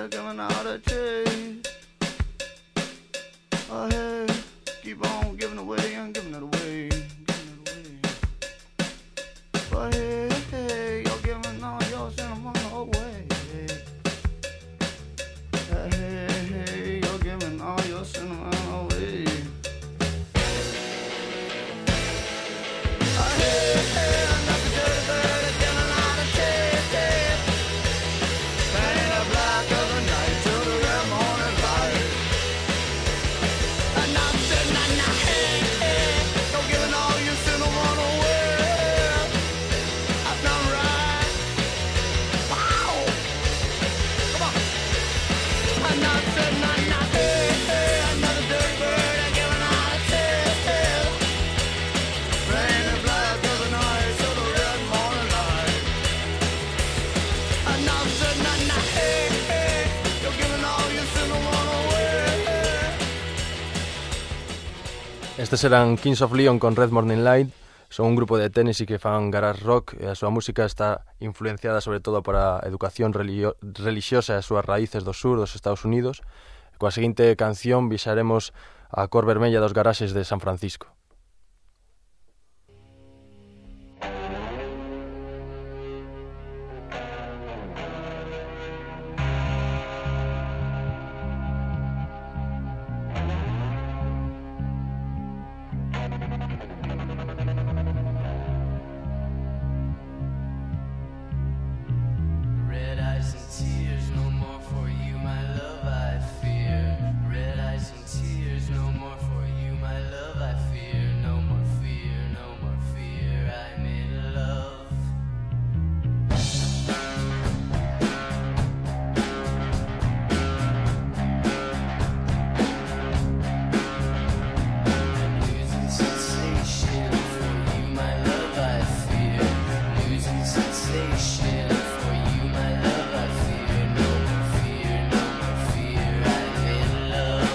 better giving out a taste. Oh hey, keep on giving away and giving it away, giving it away. But hey, hey, you're giving all your cinnamon away. Hey, hey, you're giving all your cinnamon away. Oh hey, hey, another dirty bird giving out a taste. Painting the black of the night till the red morning light. And I'm sitting on the hey, you're giving all your cinnamon away. I've done right. Wow. Come on. And I'm sitting on the hey, another dirty bird giving out a tail. Painting the black of the night till the red morning light. And I'm sitting on the hey, you're giving all your cinnamon away. Estes eran Kings of Leon con Red Morning Light. Son un grupo de Tennessee que fan garage rock e a súa música está influenciada sobre todo por a educación religiosa e as súas raíces do sur dos Estados Unidos. Coa seguinte canción viaxaremos a cor vermella dos garaxes de San Francisco. Red eyes and tears, no more for you, my love, I fear. Red eyes and tears, no more for you, my love, I fear. No more fear, no more fear, I'm in love. Losing sensation for you, my love, I fear. Losing sensation for you, my love, I fear. No more fear, no more fear, I'm in love.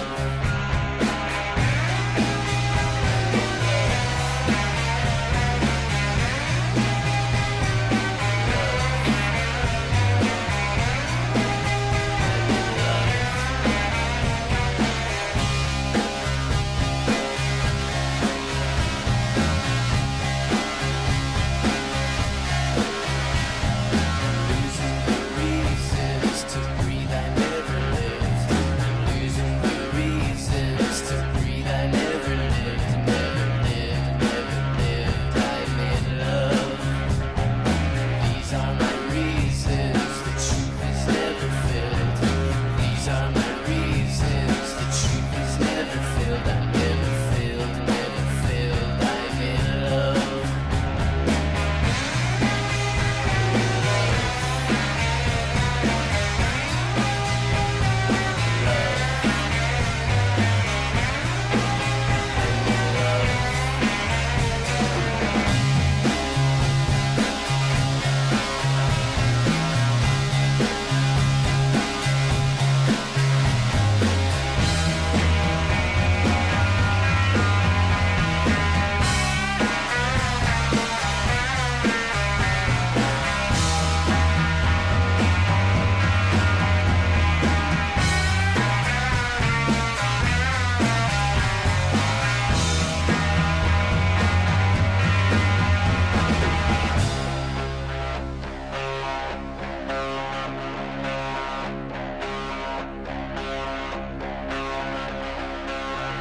Losing the reasons to breathe, I never lived. I'm losing the reasons to breathe, I never lived, never lived, never lived. I'm in love. These are my reasons, the truth is never filled. These are my reasons, the truth is never filled. I'm never filled, never filled. I'm in love.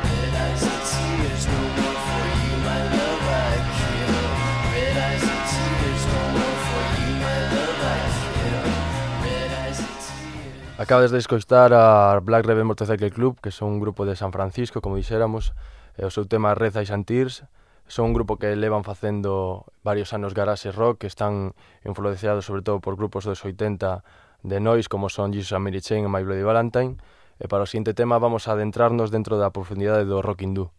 Red eyes and tears, no more for you, my love, I kill. Red eyes and tears, no more for you, my love, I kill. Red eyes and tears. Acabades de escoitar a Black Rebel Motorcycle Club, que son un grupo de San Francisco, como dixéramos, e o seu tema Red Eyes and Tears. Son un grupo que levan facendo varios anos garage rock, que están influenciados sobre todo por grupos dos 80 de noise, como son Jesus and Mary Chain e My Bloody Valentine. E para o seguinte tema vamos a adentrarnos dentro da profundidade do rock hindú.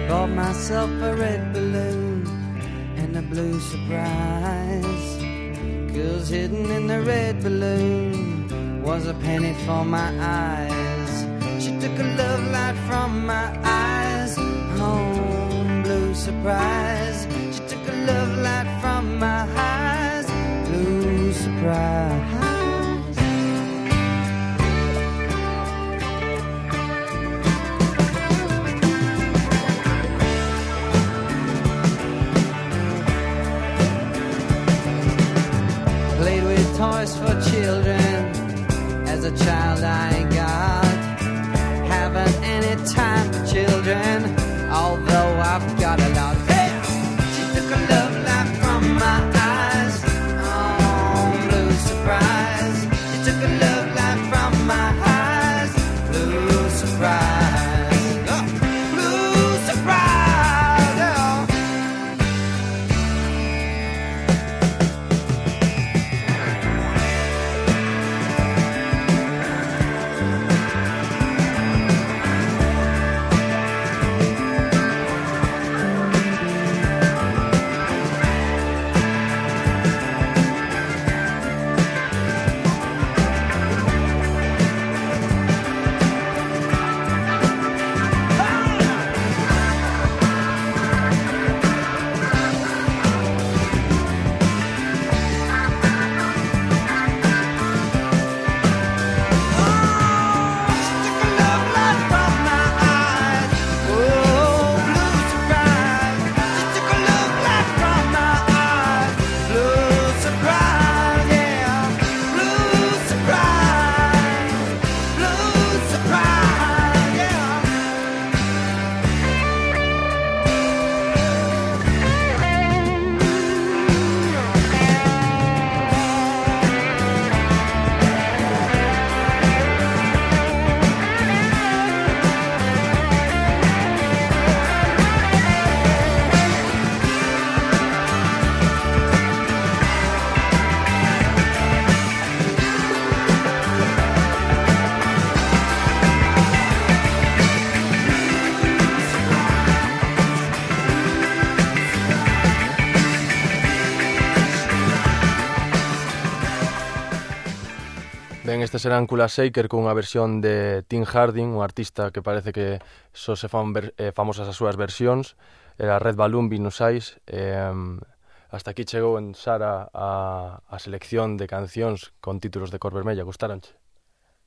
Bought myself a red balloon and a blue surprise, 'cause hidden in the red balloon was a penny for my eyes. She took a love light from my eyes, oh, blue surprise. She took a love light from my eyes, blue surprise. Played with toys for children as a child I got. Haven't any time for children, although I've got a lot. Hey! She took a love light from my eyes, oh, blue surprise. She took a love light from my eyes, blue surprise. Oh, blue surprise, oh. Ben, estes serán Kula Shaker cunha versión de Tim Harding, un artista que parece que só se fan famosas as súas versións. Era Red Balloon, Venus Eyes. Hasta aquí chegou en Sara a selección de cancións con títulos de cor vermella. Gustaronche?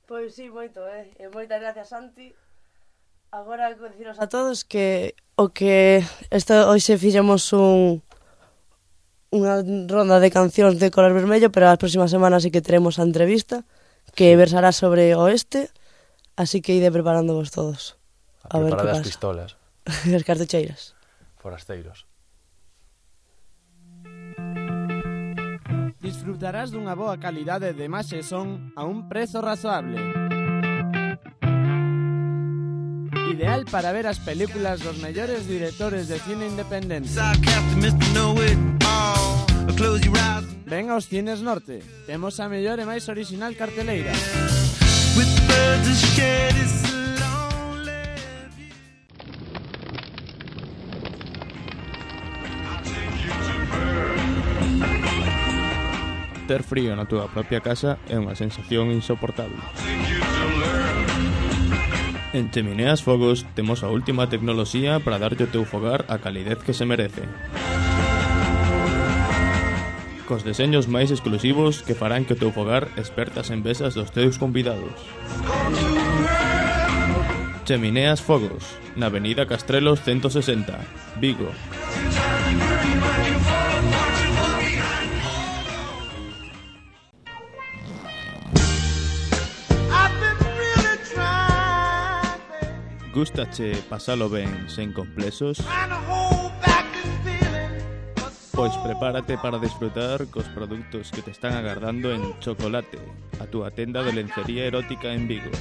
Pois sí, moito, e moitas gracias, Santi. Agora deciros a todos que o que hoxe fixemos unha ronda de cancións de color vermello, pero as próximas semanas sí que teremos a entrevista que versará sobre Oeste, así que ide preparándovos todos. A ver preparar as pistolas. As cartucheiras. Forasteiros. Disfrutarás dunha boa calidade de imaxe e son a un prezo razoable. Ideal para ver as películas dos mellores directores de cine independente. Ven aos Cines Norte. Temos a mellor e máis original carteleira. Ter frío na túa propia casa é unha sensación insoportable. En Chemineas Fogos temos a última tecnoloxía para darlle o teu fogar a calidez que se merece. Cos deseños máis exclusivos que farán que o teu fogar esperta as envesas dos teus convidados. Chemineas Fogos, na avenida Castrelos 160, Vigo. Gústache pasalo ben sen complexos? Pois prepárate para disfrutar cos produtos que te están agardando en Chocolate, a túa tenda de lencería erótica en Vigo.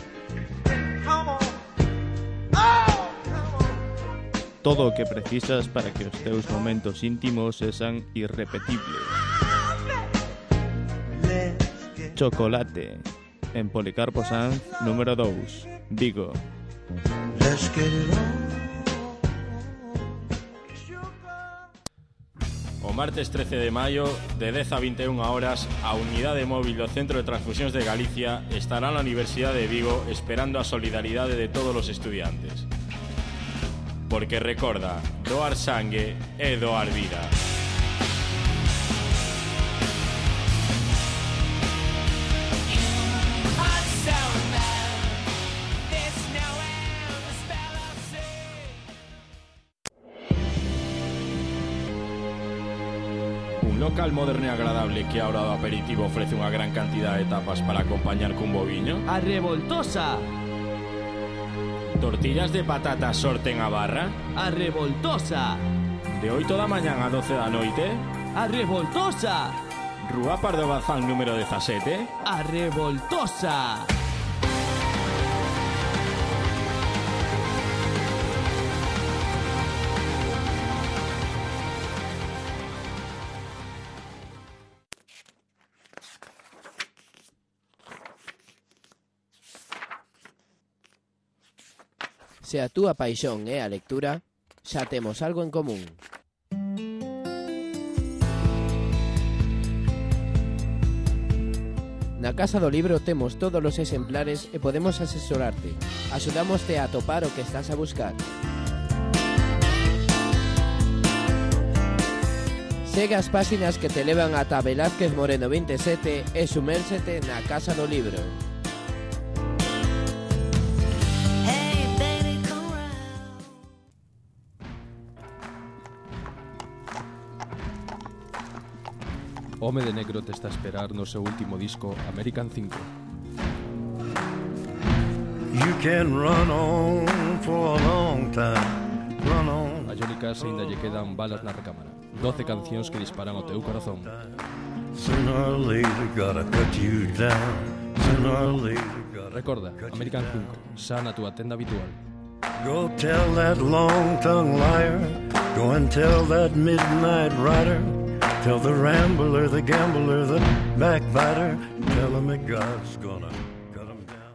Todo o que precisas para que os teus momentos íntimos sexan irrepetibles. Chocolate, en Policarpo Sanz, número 2, Vigo. Let's get it on. martes 13 de maio, de 10 a 21 horas, a unidade móvil do Centro de Transfusións de Galicia estará na Universidade de Vigo esperando a solidaridade de todos os estudiantes. Porque recorda, doar sangue é doar vida. Un local moderno e agradable que a hora do aperitivo ofrece unha gran cantidad de tapas para acompañar cun boviño. A Revoltosa. Tortillas de patata sorten a barra. A Revoltosa. De 8 da mañán a 12 da noite. A Revoltosa. Rúa Pardo Bazán número 17. A Revoltosa. Se a túa paixón é a lectura, xa temos algo en común. Na Casa do Libro temos todos os exemplares e podemos asesorarte. Axudámoste a atopar o que estás a buscar. Segue as páxinas que te levan ata Velázquez Moreno 27 e sumérsete na Casa do Libro. Home de Negro te está a esperar no seu último disco, American 5. You can run on for a long time, run on. A Johnny Cash ainda lle quedan balas na recámara. 12 cancións que disparan ao teu corazón. Sooner or later gotta cut you down. Sooner or later gotta. Recorda, American 5, xa na túa tenda habitual. Go tell that long-tongued liar. Go and tell that midnight rider. Tell the rambler, the gambler, the backbiter. Tell him that God's gonna cut him down.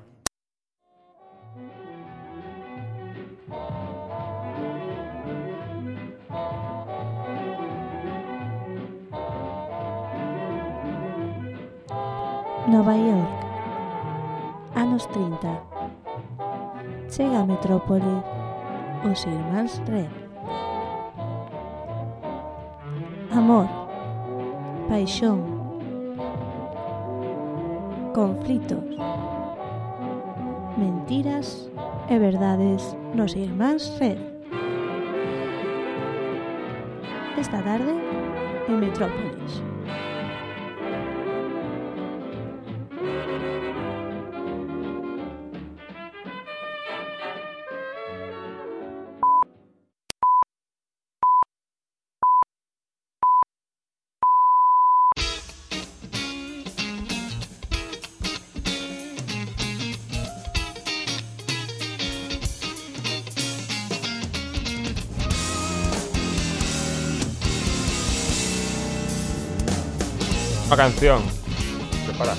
Nova York, anos 30. Chega a metrópole os irmáns Red. Amor, paixón, conflitos, mentiras e verdades nos irmáns Red. Esta tarde en Metrópolis. Una canción. Prepara.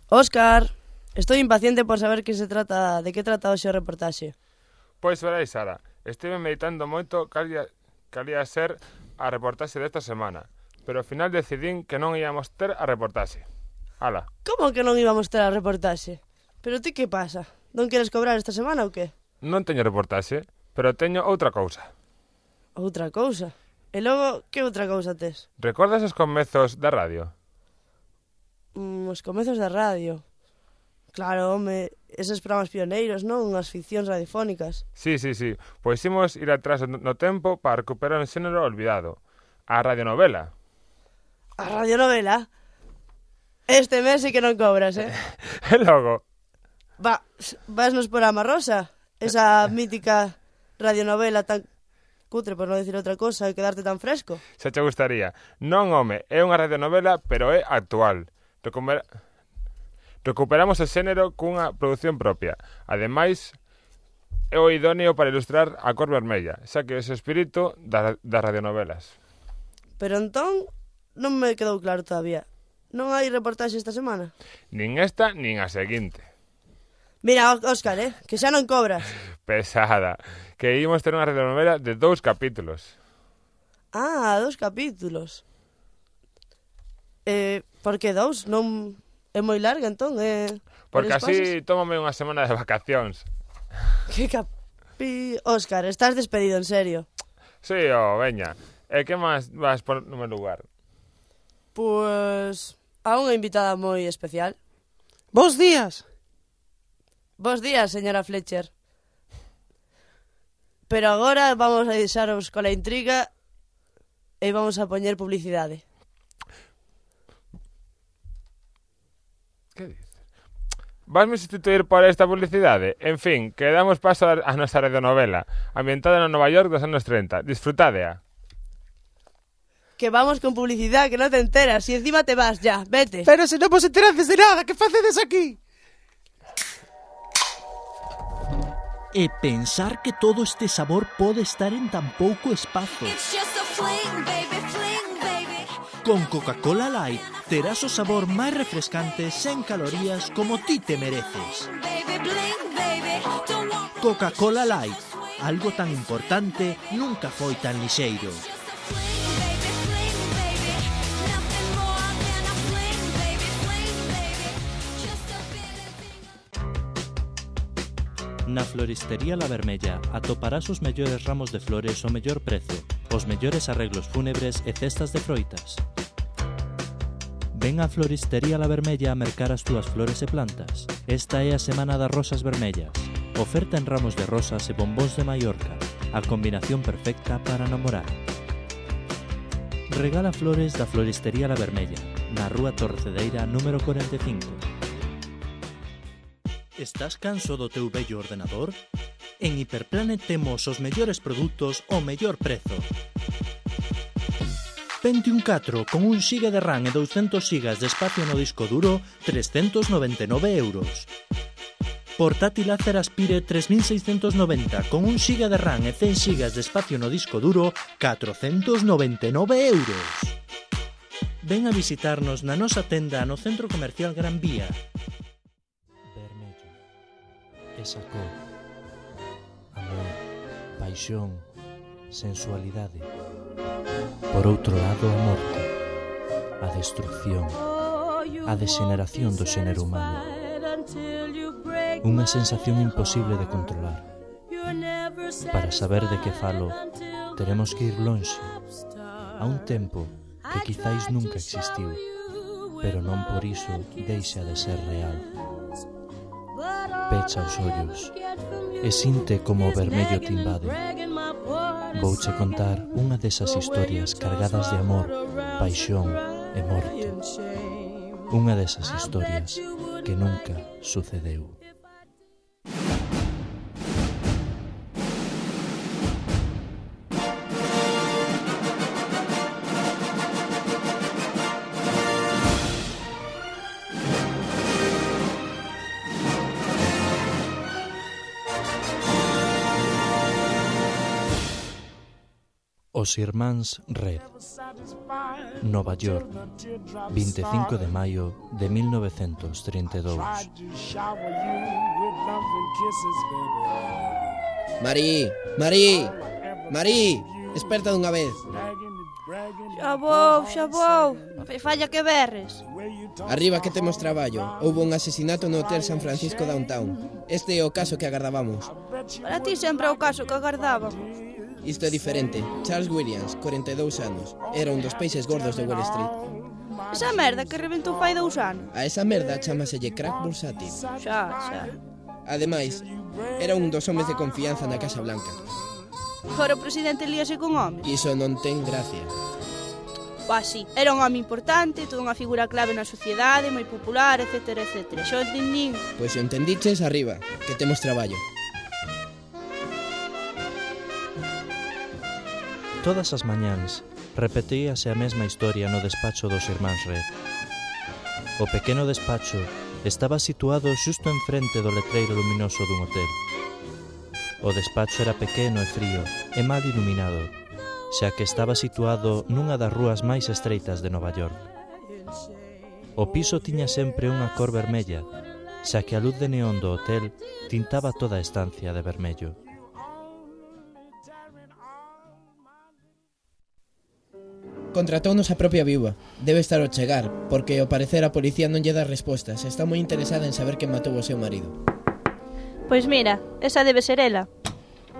Óscar, estoy impaciente por saber de qué trata hoxe o reportaxe. Pois veréis, Sara, estive meditando moito calía ser a reportaxe desta semana, pero ao final decidín que non íamos ter a reportaxe. Ala. Como que non íbamos ter a reportaxe? Pero ti que pasa? Non queres cobrar esta semana ou que? Non teño reportaxe, pero teño outra cousa. Outra cousa? E logo, que outra cousa tes? Recordas os comezos da radio? Os comezos da radio. Claro, home, eses programas pioneiros, non? Unhas ficcións radiofónicas. Sí. Pois imos ir atrás no tempo para recuperar un xénero olvidado. A radionovela. A radionovela? Este mes sí que non cobras, eh? E logo? Vasnos por Ama Rosa? Esa mítica radionovela tan cutre, por non dicir outra cosa, e quedarte tan fresco. Se che gustaría. Non, home, é unha radionovela, pero é actual. Recuperamos o xénero cunha produción propia. Ademais, é o idóneo para ilustrar a cor vermella, xa que é o espírito das radionovelas. Pero entón, non me quedou claro todavía. Non hai reportaxe esta semana? Nin esta, nin a seguinte. Mira, Óscar, que xa non cobras. Pesada. Que íbamos ter unha radionovela de 2 capítulos. Ah, 2 capítulos. Por que 2? Non é moi larga, entón? Porque así tómame unha semana de vacacións. Que Óscar, estás despedido, en serio. Sí, veña. E que máis vas por no meu lugar? Pois a unha invitada moi especial. Bos días. Bos días, señora Fletcher. Pero agora vamos a deixaros cola intriga e vamos a poñer publicidade. Que dices? Vasme sustituir por esta publicidade? En fin, que damos paso a nosa radionovela, ambientada no Nova York dos anos 30. Disfrutádea. Que vamos con publicidade, que non te enteras, e encima te vas ya, vete. Pero se non vos enterades de nada, que facedes aquí? E pensar que todo este sabor pode estar en tan pouco espazo. Con Coca-Cola Light terás o sabor máis refrescante sen calorías como ti te mereces. Coca-Cola Light, algo tan importante nunca foi tan lixeiro. Na Floristería La Vermella atoparás os mellores ramos de flores ao mellor prezo, os mellores arreglos fúnebres e cestas de froitas. Ven á Floristería La Vermella a mercar as túas flores e plantas. Esta é a Semana das Rosas Vermellas. Oferta en ramos de rosas e bombóns de Mallorca, a combinación perfecta para namorar. Regala flores da Floristería La Vermella, na Rúa Torcedeira número 45. Estás canso do teu vello ordenador? En Hiperplanet temos os mellores produtos ao mellor prezo. Pentium 4 con 1 GB de RAM e 200 GB de espacio no disco duro, 399 €. Portátil Acer Aspire 3690 con 1 GB de RAM e 100 GB de espacio no disco duro, 499 €. Ven a visitarnos na nosa tenda no Centro Comercial Gran Vía. Esa cor, amor, paixón, sensualidade. Por outro lado, a morte, a destrucción, a degeneración do xénero humano. Unha sensación imposible de controlar. Para saber de que falo, teremos que ir lonxe, a un tempo que quizáis nunca existiu, pero non por iso deixa de ser real. Pecha os ollos e sinte como o vermello te invade. Vouche contar unha desas historias cargadas de amor, paixón e morte. Unha desas historias que nunca sucedeu. Os Irmáns Red, Nova York, 25 de maio de 1932. Marí, Marí, Marí, desperta dunha vez. Xa vou, falla que berres. Arriba que temos traballo. Houbo un asesinato no Hotel San Francisco Downtown. Este é o caso que agardábamos. Para ti sempre é o caso que agardábamos. Isto é diferente. Charles Williams, 42 anos. Era un dos peixes gordos de Wall Street. Esa merda que reventou fai 2 anos. A esa merda chamaselle crack bursátil. Xa. Ademais, era un dos homes de confianza na Casa Blanca. Fora o presidente líase con homes. Iso non ten gracia. Sí, era un home importante, toda unha figura clave na sociedade, moi popular, etc, etc. Xo entendín. Pois se entendiches, arriba, que temos traballo. Todas as mañáns repetíase a mesma historia no despacho dos Irmáns Red. O pequeno despacho estaba situado xusto enfrente do letreiro luminoso dun hotel. O despacho era pequeno e frío e mal iluminado, xa que estaba situado nunha das rúas máis estreitas de Nova York. O piso tiña sempre unha cor vermella, xa que a luz de neón do hotel tintaba toda a estancia de vermello. Contratounos a propia viúva. Debe estar ao chegar, porque ao parecer a policía non lle dá respostas. Está moi interesada en saber quen matou o seu marido. Pois mira, esa debe ser ela.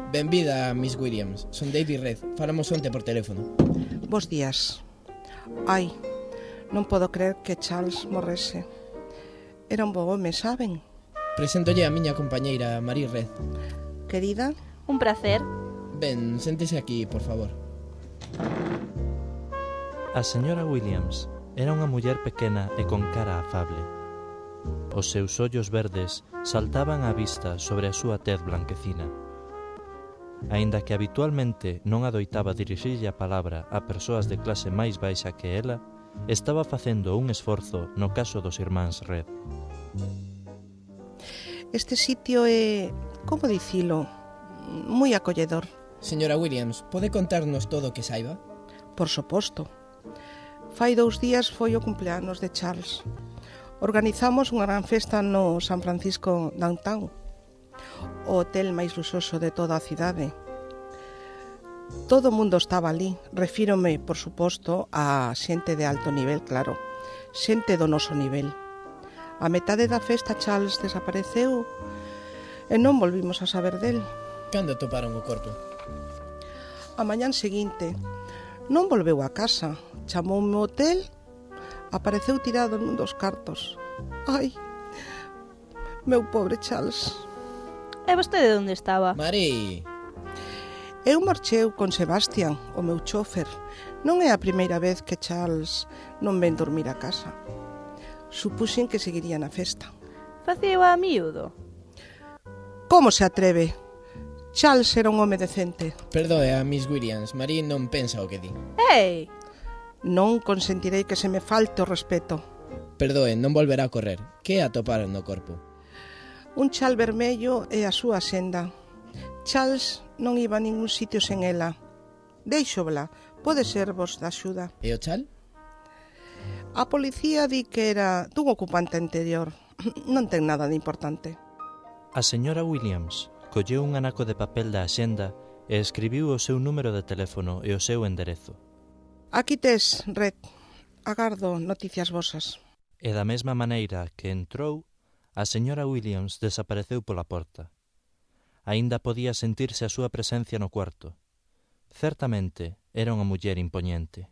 Benvida, Miss Williams. Son David Red. Falamos onte por teléfono. Bos días. Ai, non podo creer que Charles morrese. Era un bo home, saben? Preséntolle a miña compañeira, Marie Red. Querida? Un placer. Ben, séntese aquí, por favor. A señora Williams era unha muller pequena e con cara afable. Os seus ollos verdes saltaban á vista sobre a súa tez blanquecina. Aínda que habitualmente non adoitaba dirixirlle a palabra a persoas de clase máis baixa que ela, estaba facendo un esforzo no caso dos irmáns Red. Este sitio é, como dicilo, moi acolledor. Señora Williams, pode contarnos todo o que saiba? Por suposto. Fai 2 días foi o cumpleanos de Charles. Organizamos unha gran festa no San Francisco Downtown, o hotel máis luxoso de toda a cidade. Todo o mundo estaba ali. Refírome, por suposto, a xente de alto nivel, claro. Xente do noso nivel. A metade da festa Charles desapareceu e non volvimos a saber del. Cando toparon o corpo? A mañán seguinte. Non volveu a casa. Chamoume ao hotel, apareceu tirado nun dos cartos. Ai, meu pobre Charles. E vostede onde estaba? Mari! Eu marcheu con Sebastian, o meu chofer. Non é a primeira vez que Charles non ven dormir a casa. Supuxen que seguiría na festa. Facío a miúdo. Como se atreve? Charles era un home decente. Perdoe a Miss Williams, Marie non pensa o que di. Ei! Non consentirei que se me falte o respeto. Perdoe, non volverá a correr. Que atoparon no corpo? Un chal vermello e a súa senda. Charles non iba a ningún sitio sen ela. Deixóbla, pode ser vos da axuda. E o chal? A policía di que era dun ocupante anterior. Non ten nada de importante. A señora Williams colleu un anaco de papel da axenda e escribiu o seu número de teléfono e o seu enderezo. Aquí tes, Red. Agardo noticias vosas. E da mesma maneira que entrou, a señora Williams desapareceu pola porta. Aínda podía sentirse a súa presencia no cuarto. Certamente era unha muller impoñente.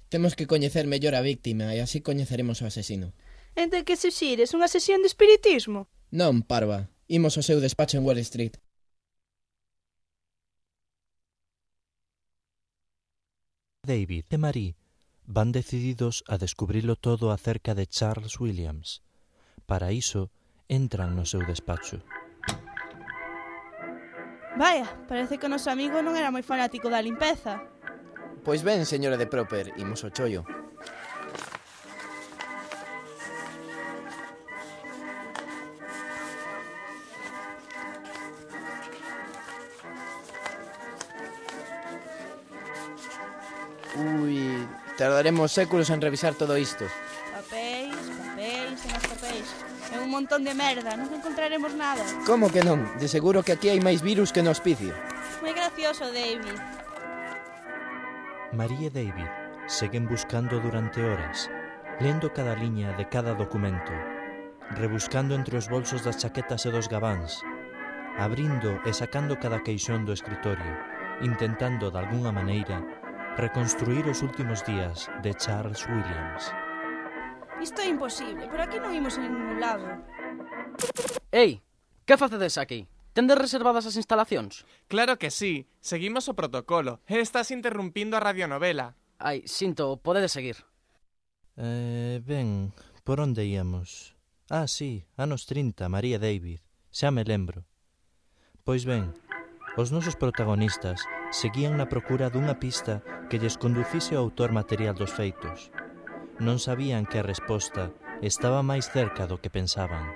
Temos que coñecer mellor a víctima e así coñeceremos o asesino. Entre que se xires unha sesión de espiritismo? Non, parva. Imos ao seu despacho en Wall Street. David e Marie van decididos a descubrilo todo acerca de Charles Williams. Para iso, entran no seu despacho. Vaya, parece que o noso amigo non era moi fanático da limpeza. Pois ben, señora de Proper, imos ao chollo. Ui, tardaremos séculos en revisar todo isto. Papéis e máis papéis. É un montón de merda, non encontraremos nada. Como que non? De seguro que aquí hai máis virus que no hospicio. Moi gracioso, David. Marie e David seguen buscando durante horas, lendo cada liña de cada documento, rebuscando entre os bolsos das chaquetas e dos gabáns, abrindo e sacando cada queixón do escritorio, intentando, de algunha maneira, reconstruir os últimos días de Charles Williams. Isto é imposible, por aquí non imos a ningún lado. Ei, que facedes aquí? Tendes reservadas as instalacións? Claro que sí, seguimos o protocolo. Estás interrumpindo a radionovela. Ai, sinto, podedes seguir. Ben, por onde íamos? Ah, sí, anos 30, María David, xa me lembro. Pois ben, os nosos protagonistas seguían na procura dunha pista que lles conducise ao autor material dos feitos. Non sabían que a resposta estaba máis cerca do que pensaban.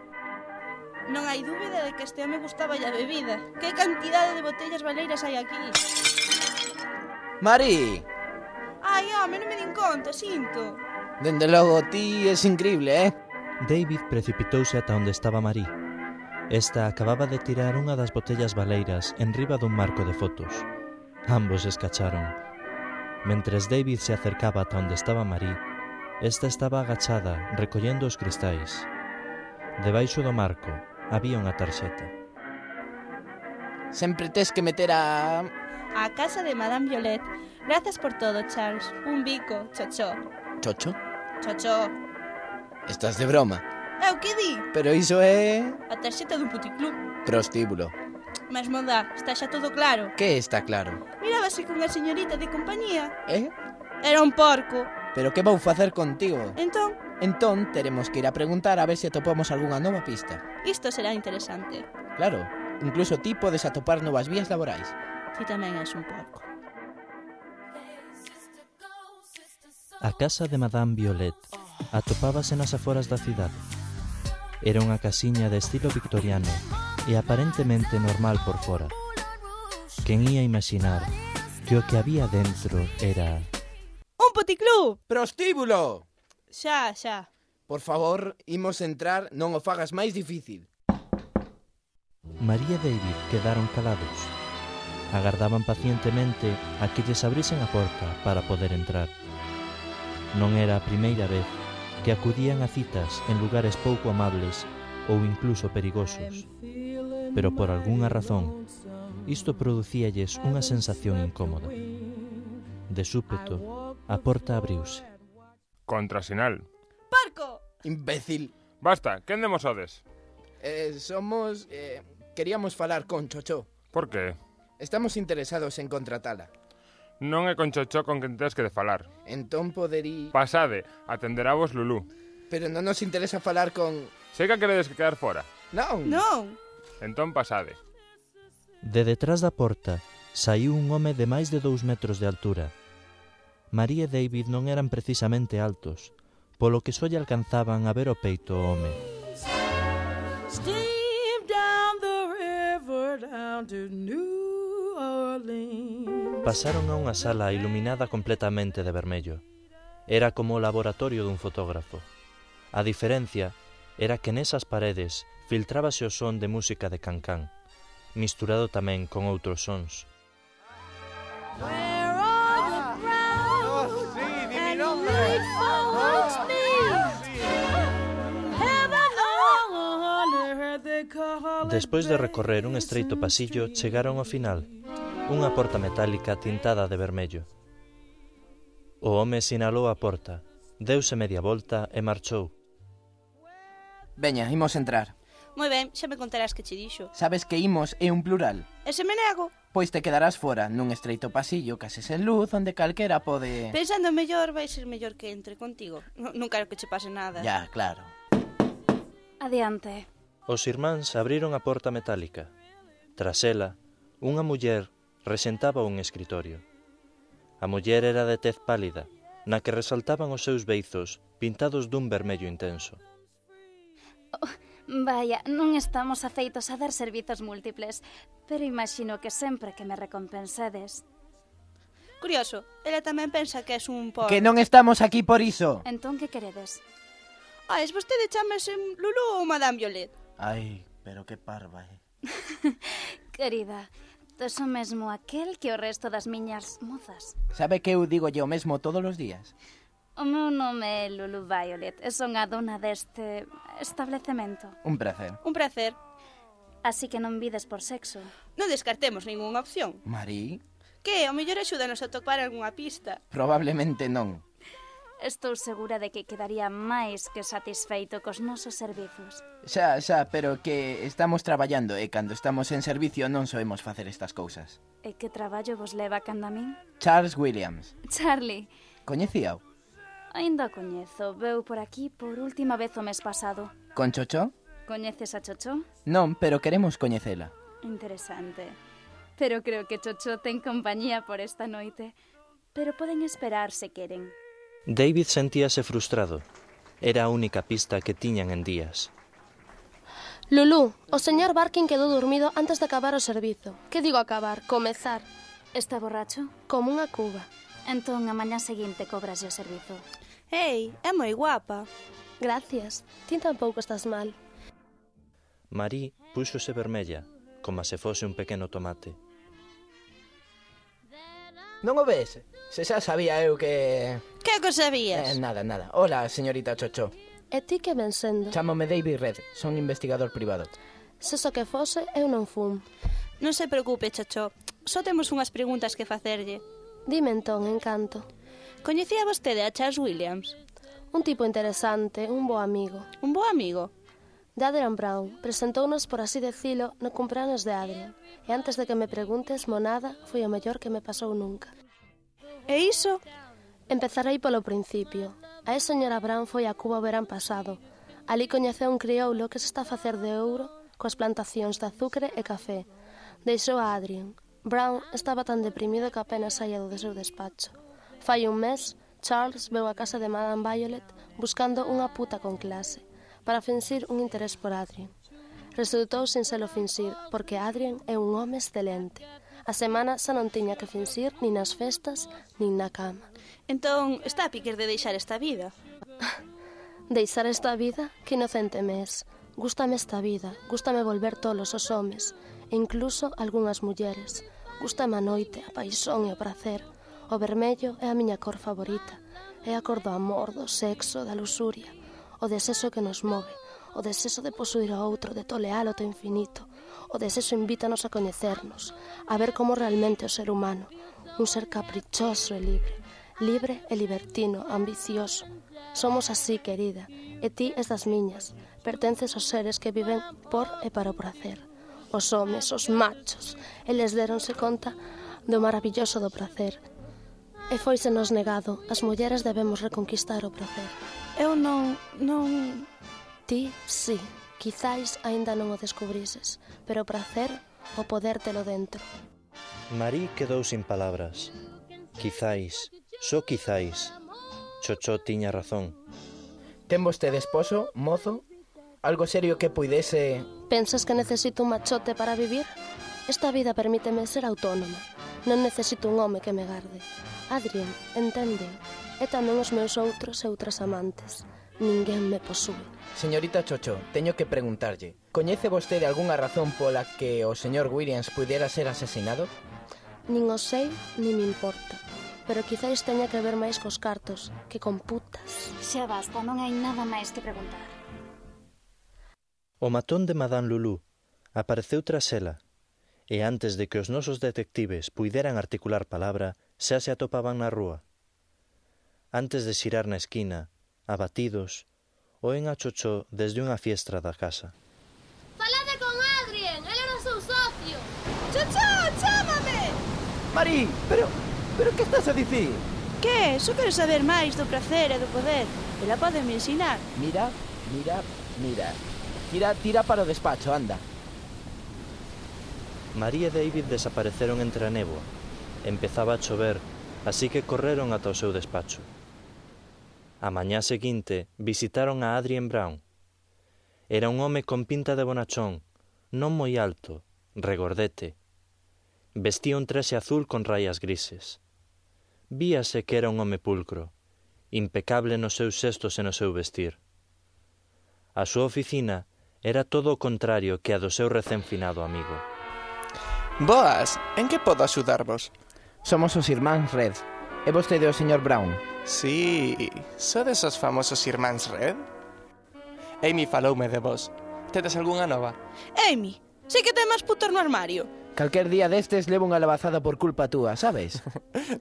Non hai dúbida de que este home gustaba a bebida. Que cantidade de botellas baleiras hai aquí? Mari! Ai, home, non me din conta, sinto. Dende logo, ti es increíble, David precipitouse ata onde estaba Marie. Esta acababa de tirar unha das botellas baleiras en riba dun marco de fotos. Ambos escacharon. Mentres David se acercaba ata onde estaba Marie, esta estaba agachada recollendo os cristais. Debaixo do marco había unha tarxeta. Sempre tes que meter a casa de Madame Violet. Gracias por todo, Charles. Un bico, chocho. Chocho? Chocho. Estás de broma. Eu que di? Pero iso é... A tarxeta do puticlub. prostíbulo. Mesmo dá, está xa todo claro. Que está claro? Mirábase con a señorita de compañía. Era un porco. Pero que vou facer contigo? Entón? Entón, teremos que ir a preguntar a ver se atopamos algunha nova pista. Isto será interesante. Claro, incluso ti podes atopar novas vías laborais. Ti tamén és un porco. A casa de Madame Violet atopábase nas aforas da cidade. Era unha casiña de estilo victoriano e aparentemente normal por fora. Quen ia imaginar que o que había dentro era... Un puticlub! Prostíbulo! Xa. Por favor, imos entrar, non o fagas máis difícil. María e David quedaron calados. Agardaban pacientemente a que lles abrisen a porta para poder entrar. Non era a primeira vez que acudían a citas en lugares pouco amables ou incluso perigosos. Pero por algunha razón, isto producíalles unha sensación incómoda. De súpeto, a porta abriuse. Contrasinal. Parco! Imbécil. Basta, quen demosodes? Somos... queríamos falar con Chocho. Por que? Estamos interesados en contratala. Non é con Chocho con quen tens que de falar. Entón poderí... Pasade, atenderá vos Lulú. Pero non nos interesa falar con... Sei que queredes que quedar fora. Non. Entón pasade. De detrás da porta saiu un home de máis de 2 metros de altura. María e David non eran precisamente altos, polo que só lle alcanzaban a ver o peito ao home. Pasaron a unha sala iluminada completamente de vermello. Era como o laboratorio dun fotógrafo. A diferencia era que nesas paredes filtrábase o son de música de cancán, misturado tamén con outros sons. Despois de recorrer un estreito pasillo, chegaron ao final, unha porta metálica tintada de vermello. O home sinalou a porta, deuse media volta e marchou. Veña, imos entrar. Moi ben, xa me contarás que che dixo. Sabes que imos é un plural. E se me nego? Pois te quedarás fora, nun estreito pasillo, case sen luz, onde calquera pode... Pensando mellor, vai ser mellor que entre contigo. Non quero que che pase nada. Ya, claro. Adiante. Os irmáns abriron a porta metálica. Tras ela, unha muller resentaba un escritorio. A muller era de tez pálida, na que resaltaban os seus beizos pintados dun vermello intenso. Vaya, non estamos afeitos a dar servizos múltiples, pero imagino que sempre que me recompensedes. Curioso, ela tamén pensa que és un porco. Que non estamos aquí por iso. Entón, que queredes? Es vostede chamase Lulú ou Madame Violet? Ai, pero que parva, Querida, tes o mesmo aquel que o resto das miñas mozas. Sabe que eu digo o mesmo todos os días? O meu nome é Lulu Violet e son a dona deste establecemento. Un placer. Un placer. Así que non vides por sexo. Non descartemos ningunha opción. Marí? Que, ao mellor axúdanos a topar algunha pista. Probablemente non. Estou segura de que quedaría máis que satisfeito cos nosos servizos. Xa, pero que estamos traballando e cando estamos en servicio non soemos facer estas cousas. E que traballo vos leva canda min? Charles Williams. Charlie. Coñecíao? Ainda coñezo, veu por aquí por última vez o mes pasado. Con Chocho? Coñeces a Chocho? Non, pero queremos coñecela. Interesante. Pero creo que Chocho ten compañía por esta noite. Pero poden esperar se queren. David sentíase frustrado. Era a única pista que tiñan en días. Lulú, o señor Barkin quedou dormido antes de acabar o servizo. Que digo acabar? Comezar. Está borracho? Como unha cuba. Entón, a mañá seguinte cobras o servizo. Ei, é moi guapa. Gracias. Ti tampouco estás mal. Marí púxose vermella, como se fose un pequeno tomate. Non o ves? Se xa sabía eu que... Que o sabías? Nada. Hola, señorita Chocho. E ti que ven sendo? Chámome David Red, son investigador privado. Se só que fose, eu non fun. Non se preocupe, Chocho. Só temos unhas preguntas que facerlle. Dime entón, Encanto. Coñecía vostede a Charles Williams? Un tipo interesante, un bo amigo. Un bo amigo? De Adrian Brown. Presentounos, por así decilo, no cumpleaños de Adrian. E antes de que me preguntes, monada, foi o mellor que me pasou nunca. E iso? Empezarei polo principio. A señora Brown foi a Cuba o verán pasado. Ali coñeceu un crioulo que se está a facer de ouro coas plantacións de azucre e café. Deixou a Adrian. Brown estaba tan deprimido que apenas saía do seu despacho. Fai un mes, Charles veu a casa de Madame Violet buscando unha puta con clase, para finxir un interés por Adrian. Resultou sin selo finxir, porque Adrian é un home excelente. A semana xa non tiña que finxir nin nas festas, nin na cama. Entón, está a piques de deixar esta vida? Deixar esta vida? Que inocente me es. Gústame esta vida, gústame volver tolos os homes, e incluso algunhas mulleres. Gústame a noite, a paixón e o prazer. O vermello é a miña cor favorita. É a cor do amor, do sexo, da luxuria. O desexo que nos move. O desexo de posuir o outro, de tolealo ao infinito. O desexo invítanos a coñecernos, a ver como realmente o ser humano. Un ser caprichoso e libre. Libre e libertino, ambicioso. Somos así, querida, e ti es das miñas. Pertences aos seres que viven por e para o prazer. Os homes, os machos, eles deronse conta do maravilloso do prazer. E foisenos negado, as mulleres debemos reconquistar o prazer. Eu non... Ti, sí, quizáis aínda non o descubrises, pero o prazer, o poder telo dentro. Marí quedou sin palabras. Quizáis, só quizáis. Chocho tiña razón. Ten vostede esposo, mozo? Algo serio que puidese... Pensas que necesito un machote para vivir? Esta vida permíteme ser autónoma. Non necesito un home que me garde. Adrian, entende, e tamén os meus outros e outras amantes. Ninguén me posúe. Señorita Chocho, teño que preguntarlle. Coñece vostede algunha razón pola que o señor Williams puidera ser asesinado? Nin o sei, nin me importa. Pero quizáis teña que ver máis cos cartos que con putas. Xa basta, non hai nada máis que preguntar. O matón de Madame Lulú apareceu tras ela, e antes de que os nosos detectives puideran articular palabra, xa se atopaban na rúa. Antes de xirar na esquina, abatidos, oen a Chocho desde unha fiestra da casa. Falade con Adrien, el era o seu socio. Chocho, chámame! Marí, pero que estás a dicir? Que? Só quero saber máis do prazer e do poder. Ela pode me ensinar. Mira. Tira para o despacho, anda. Marí e David desapareceron entre a néboa. Empezaba a chover, así que correron ata o seu despacho. A mañá seguinte visitaron a Adrian Brown. Era un home con pinta de bonachón, non moi alto, regordete. Vestía un traxe azul con raias grises. Víase que era un home pulcro, impecable nos seus xestos e no seu vestir. A súa oficina era todo o contrario que a do seu recén finado amigo. Boas, en que podo axudarvos? Somos os irmáns Red. É vostede o señor Brown? Sí, sodes os famosos irmáns Red? Amy faloume de vos. Tedes algunha nova? Amy, sei que ten máis putos no armario. Calquer día destes levo unha labazada por culpa túa, sabes?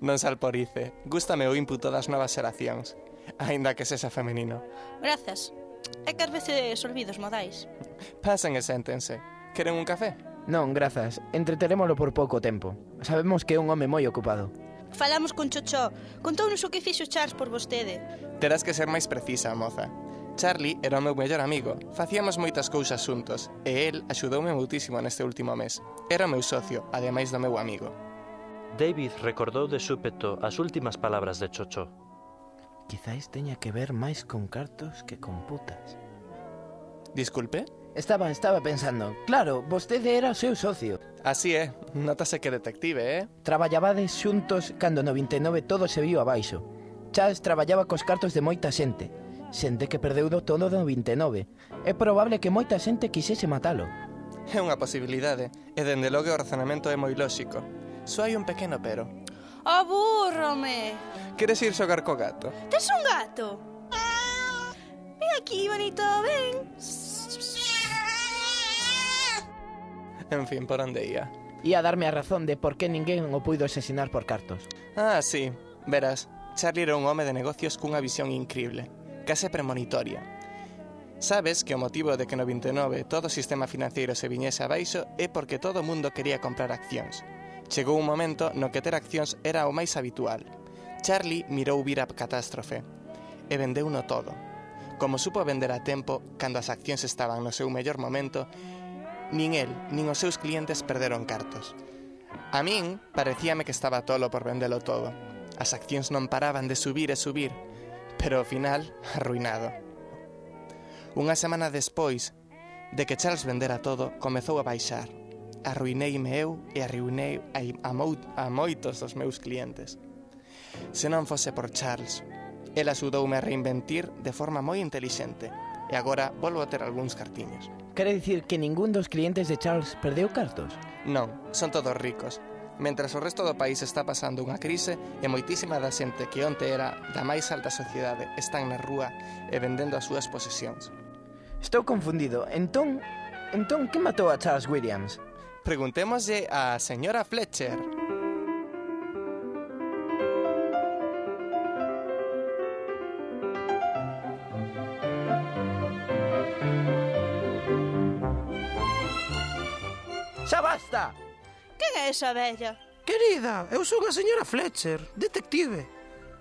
Non salporice. Gústame o inputo das novas xeracións, aínda que sexa femenino. Grazas. É que ás veces olvidos modais. Pasen e séntense. Queren un café? Non, grazas. Entreterémolo por pouco tempo. Sabemos que é un home moi ocupado. Falamos con Chocho. Contounos o que fixo Charles por vostede. Terás que ser máis precisa, moza. Charlie era o meu mellor amigo. Facíamos moitas cousas xuntos, e el axudoume muitísimo neste último mes. Era o meu socio, ademais do meu amigo. David recordou de súpeto as últimas palabras de Chocho. Quizáis teña que ver máis con cartos que con putas. Disculpe? Estaba pensando. Claro, vostede era o seu socio. Así é, notase que detective, Traballabades xuntos cando no 29 todo se viu abaixo. Charles traballaba cos cartos de moita xente. Xente que perdeu do todo do 29. É probable que moita xente quixese matalo. É unha posibilidade, e dende logo o razonamento é moi lóxico. Só hai un pequeno pero. Abúrrome. Queres ir xogar co gato? Tes un gato? Ven aquí, bonito, ven. En fin, por onde ia? Ia darme a razón de por que ninguén o puido asesinar por cartos. Ah, sí. Verás, Charlie era un home de negocios cunha visión incrible, case premonitoria. Sabes que o motivo de que no 29 todo o sistema financeiro se viñese abaixo é porque todo o mundo quería comprar accións. Chegou un momento no que ter accións era o máis habitual. Charlie mirou vir a catástrofe e vendeuno todo. Como supo vender a tempo, cando as accións estaban no seu mellor momento, nin el, nin os seus clientes perderon cartos. A min parecíame que estaba tolo por vendelo todo. As accións non paraban de subir e subir, pero ao final, arruinado. Unha semana despois de que Charles vendera todo, comezou a baixar. Arruineime eu e arruinei a moitos dos meus clientes. Se non fose por Charles, el axudoume a reinventir de forma moi intelixente, e agora volvo a ter algúns cartiños. Quere dicir que ningún dos clientes de Charles perdeu cartos? Non, son todos ricos. Mentras o resto do país está pasando unha crise e moitísima da xente que onte era da máis alta sociedade están na rúa e vendendo as súas posesións. Estou confundido. Entón, que matou a Charles Williams? Preguntémoslle á señora Fletcher. Xa basta! Quen é esa vella? Querida, eu son a señora Fletcher, detective.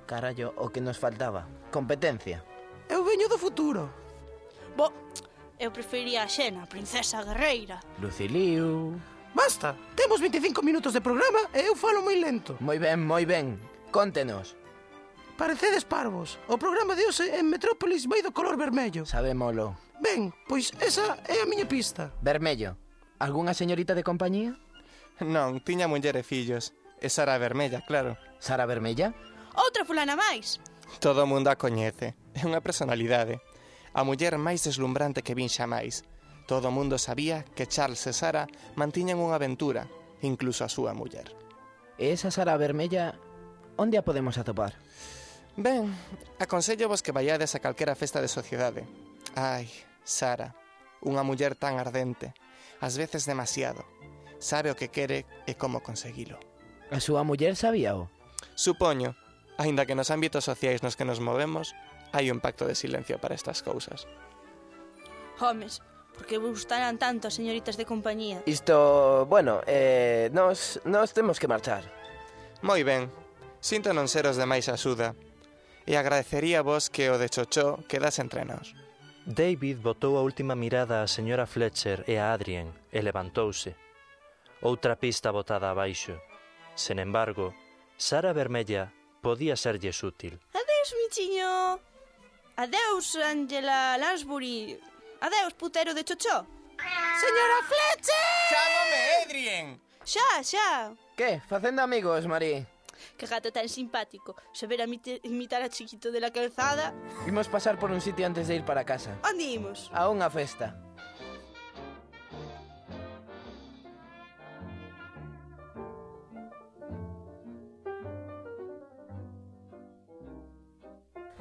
Carallo, o que nos faltaba. Competencia. Eu veño do futuro. Bo, eu prefería a Xena, a princesa guerreira. Luciliu. Basta, temos 25 minutos de programa e eu falo moi lento. Moi ben. Contenos. Parecedes parvos. O programa de hoxe en Metrópolis vai do color vermello. Sabémolo. Ben, pois esa é a miña pista. Vermello. Algúnha señorita de compañía? Non, tiña muller e fillos. E Sara Vermella, claro. Sara Vermella? Outra fulana máis. Todo o mundo a coñece. É unha personalidade. A muller máis deslumbrante que vin xamais. Todo o mundo sabía que Charles e Sara mantiñan unha aventura, incluso a súa muller. E esa Sara Vermella, onde a podemos atopar? Ben, aconsellovos que vaiades a calquera festa de sociedade. Ai, Sara, unha muller tan ardente, ás veces demasiado. Sabe o que quere e como conseguilo. A súa muller sabíao? Supoño, aínda que nos ámbitos sociais nos que nos movemos, hai un pacto de silencio para estas cousas. Homes, por que vos gustarán tanto as señoritas de compañía? Isto, bueno, nos temos que marchar. Moi ben, sinto non ser os demais axuda, e agradecería vos que o de Chochó quedase entre nós. David botou a última mirada á señora Fletcher e a Adrien e levantouse. Outra pista botada abaixo. Sen embargo, Sara Vermella podía serlles útil. Adeus, michiño. Adeus, Angela Lansbury. Adeus, putero de Chochó. Señora Fletcher! Chámame Adrien! Xa. Que? Facendo amigos, Marí? Que gato tan simpático. Saber imitar a Chiquito de la Calzada. Imos pasar por un sitio antes de ir para casa. Onde imos? A unha festa.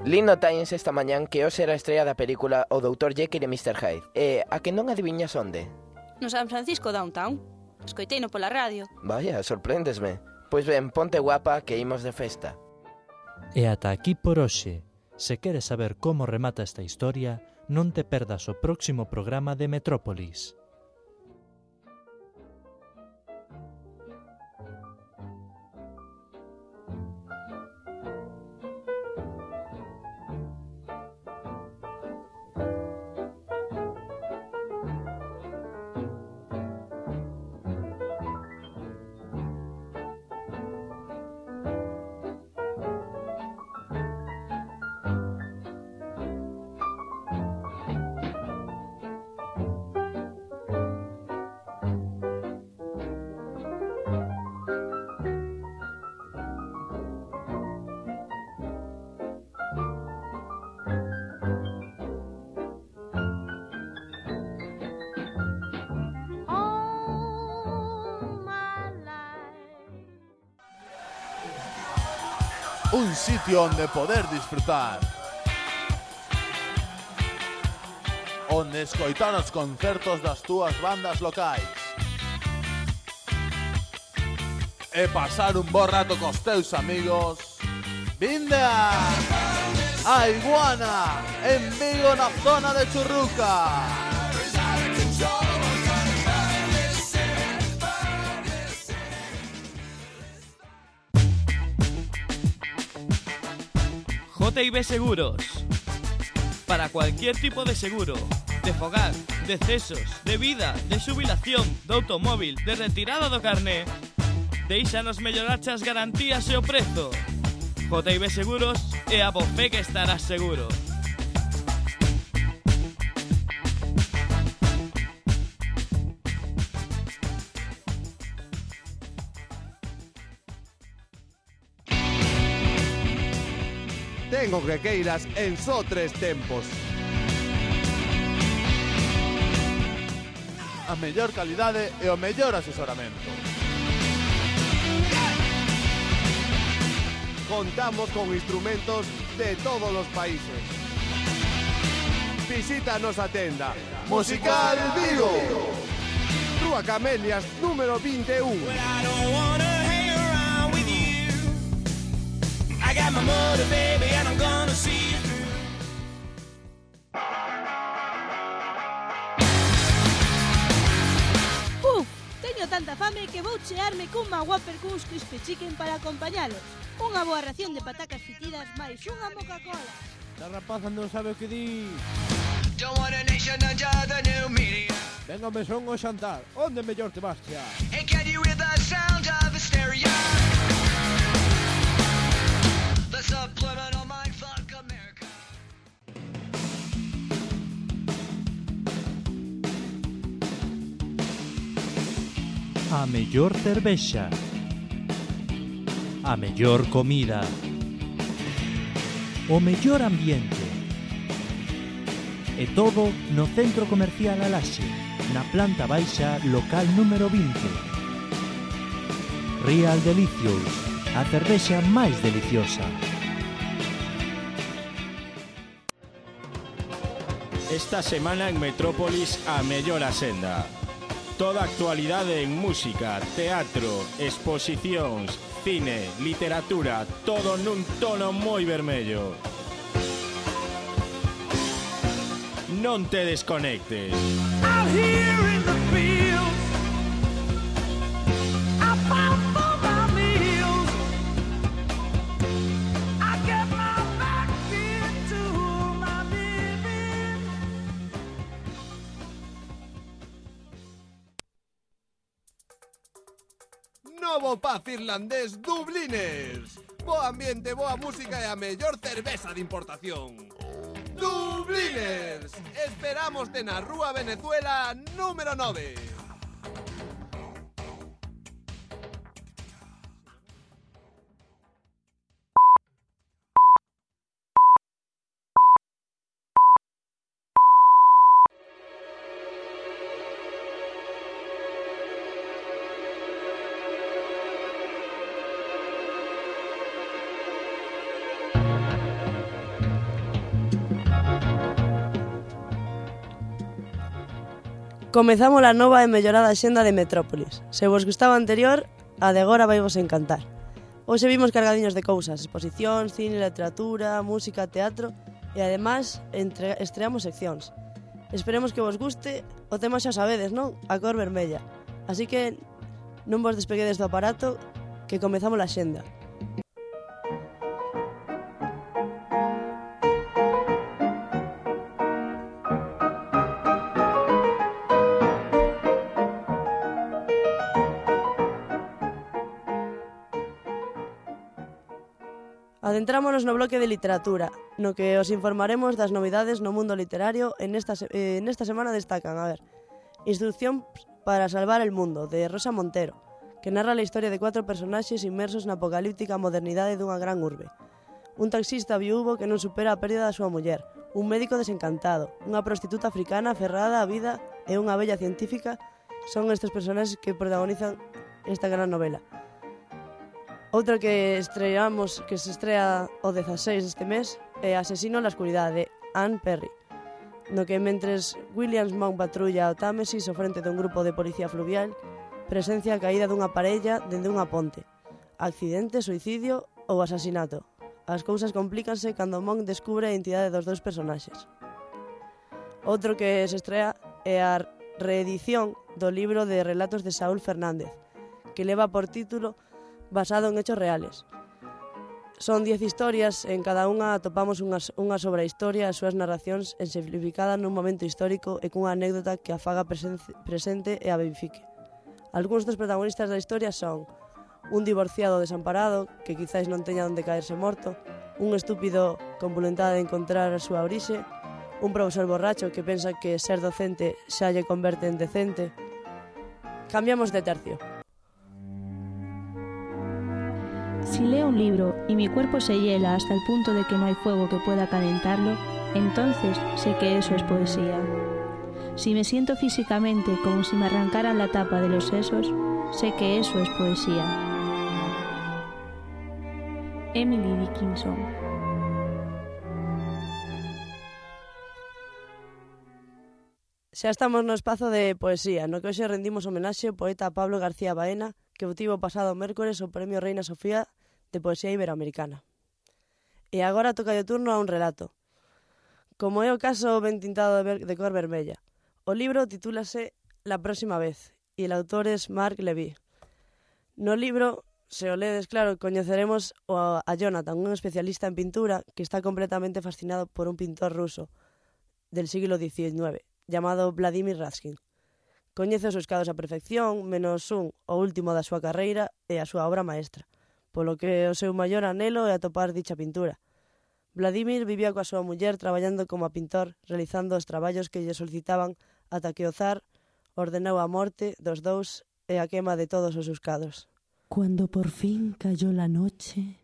Lindo Times esta mañán que hoxe era a estrella da película O Dr. Jekyll e Mr. Hyde. E a que non adiviñas onde? No San Francisco Downtown. Escoiteino pola radio. Vaya, sorpréndesme. Pois ben, ponte guapa que imos de festa. E ata aquí por hoxe. Se queres saber como remata esta historia, non te perdas o próximo programa de Metrópolis. Un sitio onde poder disfrutar, onde escoitar os concertos das túas bandas locais e pasar un bo rato cos teus amigos. Vinde a Iguana, en Vigo, na zona de Churruca. JB Seguros. Para cualquier tipo de seguro, de fogar, de cesos, de vida, de xubilación, de automóvil, de retirada do carné, deixanos mellorar as garantías e o prezo. JB Seguros é a bofé que estarás seguro. Tengo que queiras en só 3 tempos. A mellor calidade e o mellor asesoramento. Contamos con instrumentos de todos os países. Visita a nosa tenda Musical Vigo, Rúa Camelias, número 21. I got my motor, baby, and I'm gonna see you through. Teño tanta fame que vou chearme cunha Whopper cuns crispy chicken para acompañalos. Unha boa ración de patacas fritidas máis unha Coca-Cola. La rapaza non sabe o que di. Don't want a nation under the new media. Venga, me son o xantar. Onde mellor te vas xa? And can you hear the sound of hysteria? The subliminal mindfuck America. A mellor cervexa, a mellor comida, o mellor ambiente. E todo no Centro Comercial Alaxe, na planta baixa, local número 20. Real Delicious, a cervexa máis deliciosa. Esta semana en Metrópolis a mellor asenda. Toda actualidade en música, teatro, exposicións, cine, literatura, todo nun tono moi vermello. Non te desconectes. Out here in the fields, I found for my meals. I get my back into my living. Novo pub irlandés Dubliners. Bo ambiente, boa música e a mellor cerveza de importación. Dubliners. Esperámoste na Rúa Venezuela número 9. Comezamos a nova e mellorada xenda de Metrópolis. Se vos gustaba a anterior, a de agora vai vos encantar. Hoxe vimos cargadiños de cousas, exposicións, cine, literatura, música, teatro e ademais estreamos seccións. Esperemos que vos guste, o tema xa sabedes, non? A cor vermella. Así que non vos despeguedes do aparato, que comezamos a xenda. Adentrámonos no bloque de literatura, no que os informaremos das novidades no mundo literario en esta semana destacan, Instrucción para salvar el mundo, de Rosa Montero, que narra a historia de 4 personaxes inmersos na apocalíptica modernidade dunha gran urbe. Un taxista viúvo que non supera a pérdida da súa muller, un médico desencantado, unha prostituta africana aferrada á vida e unha bella científica son estes personaxes que protagonizan esta gran novela. Outra que se estrea o 16 deste mes é Asesino na escuridade, de Anne Perry, no que mentres Williams Mount patrulla o Támesis ao frente dun grupo de policía fluvial, presencia a caída dunha parella dende unha ponte. Accidente, suicidio ou asasinato. As cousas complícanse cando Monk descubre a identidade dos dous personaxes. Outro que se estrea é a reedición do libro de relatos de Saúl Fernández, que leva por título Basado en hechos reales. Son 10 historias, en cada unha atopamos unha sobre a historia e as súas narracións exemplificadas nun momento histórico e cunha anécdota que a faga presente e a vivifique. Algúns dos protagonistas da historia son un divorciado desamparado que quizáis non teña onde caerse morto, un estúpido con voluntade de encontrar a súa orixe, un profesor borracho que pensa que ser docente xa lle converte en decente. Cambiamos de tercio. Si leo un libro y mi cuerpo se hiela hasta el punto de que no hay fuego que pueda calentarlo, entonces sé que eso es poesía. Si me siento físicamente como si me arrancaran la tapa de los sesos, sé que eso es poesía. Emily Dickinson. Xa estamos no espazo de poesía, no que hoxe rendimos homenaxe ao poeta Pablo García Baena, que obtivo pasado mércores o Premio Reina Sofía de Poesía Iberoamericana. E agora toca de turno a un relato. Como é o caso ben tintado de cor vermella. O libro titúlase La próxima vez, e el autor es Marc Levy. No libro, se o ledes claro, coñeceremos a Jonathan, un especialista en pintura que está completamente fascinado por un pintor ruso del siglo XIX, llamado Vladimir Raskin. Coñece os seus cadros a perfección, menos un, o último da súa carreira e a súa obra maestra, polo que o seu maior anelo é atopar dicha pintura. Vladimir vivía coa súa muller traballando como pintor, realizando os traballos que lle solicitaban ata que o zar ordenou a morte dos dous e a quema de todos os seus cadros. Cuando por fin cayó la noche,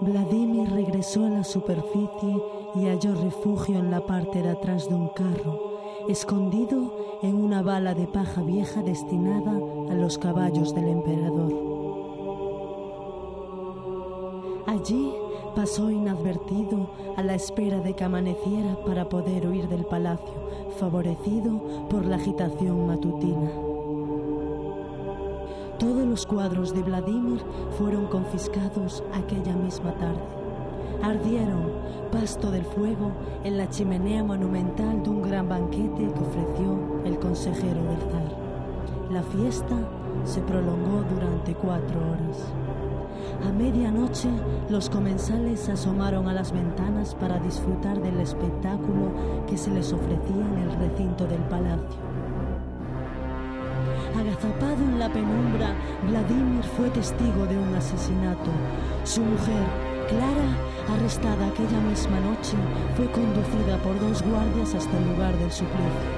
Vladimir regresó a la superficie y halló refugio en la parte de atrás de un carro, escondido en una bala de paja vieja destinada a los caballos del emperador. Allí pasó inadvertido a la espera de que amaneciera para poder huir del palacio, favorecido por la agitación matutina. Todos los cuadros de Vladimir fueron confiscados aquella misma tarde. Ardieron, pasto del fuego, en la chimenea monumental de un gran banquete que ofreció el consejero del zar. La fiesta se prolongó durante 4 horas. A medianoche, los comensales se asomaron a las ventanas para disfrutar del espectáculo que se les ofrecía en el recinto del palacio. Agazapado en la penumbra, Vladimir fue testigo de un asesinato. Su mujer, Clara, arrestada aquella misma noche, fue conducida por 2 guardias hasta el lugar del suplicio.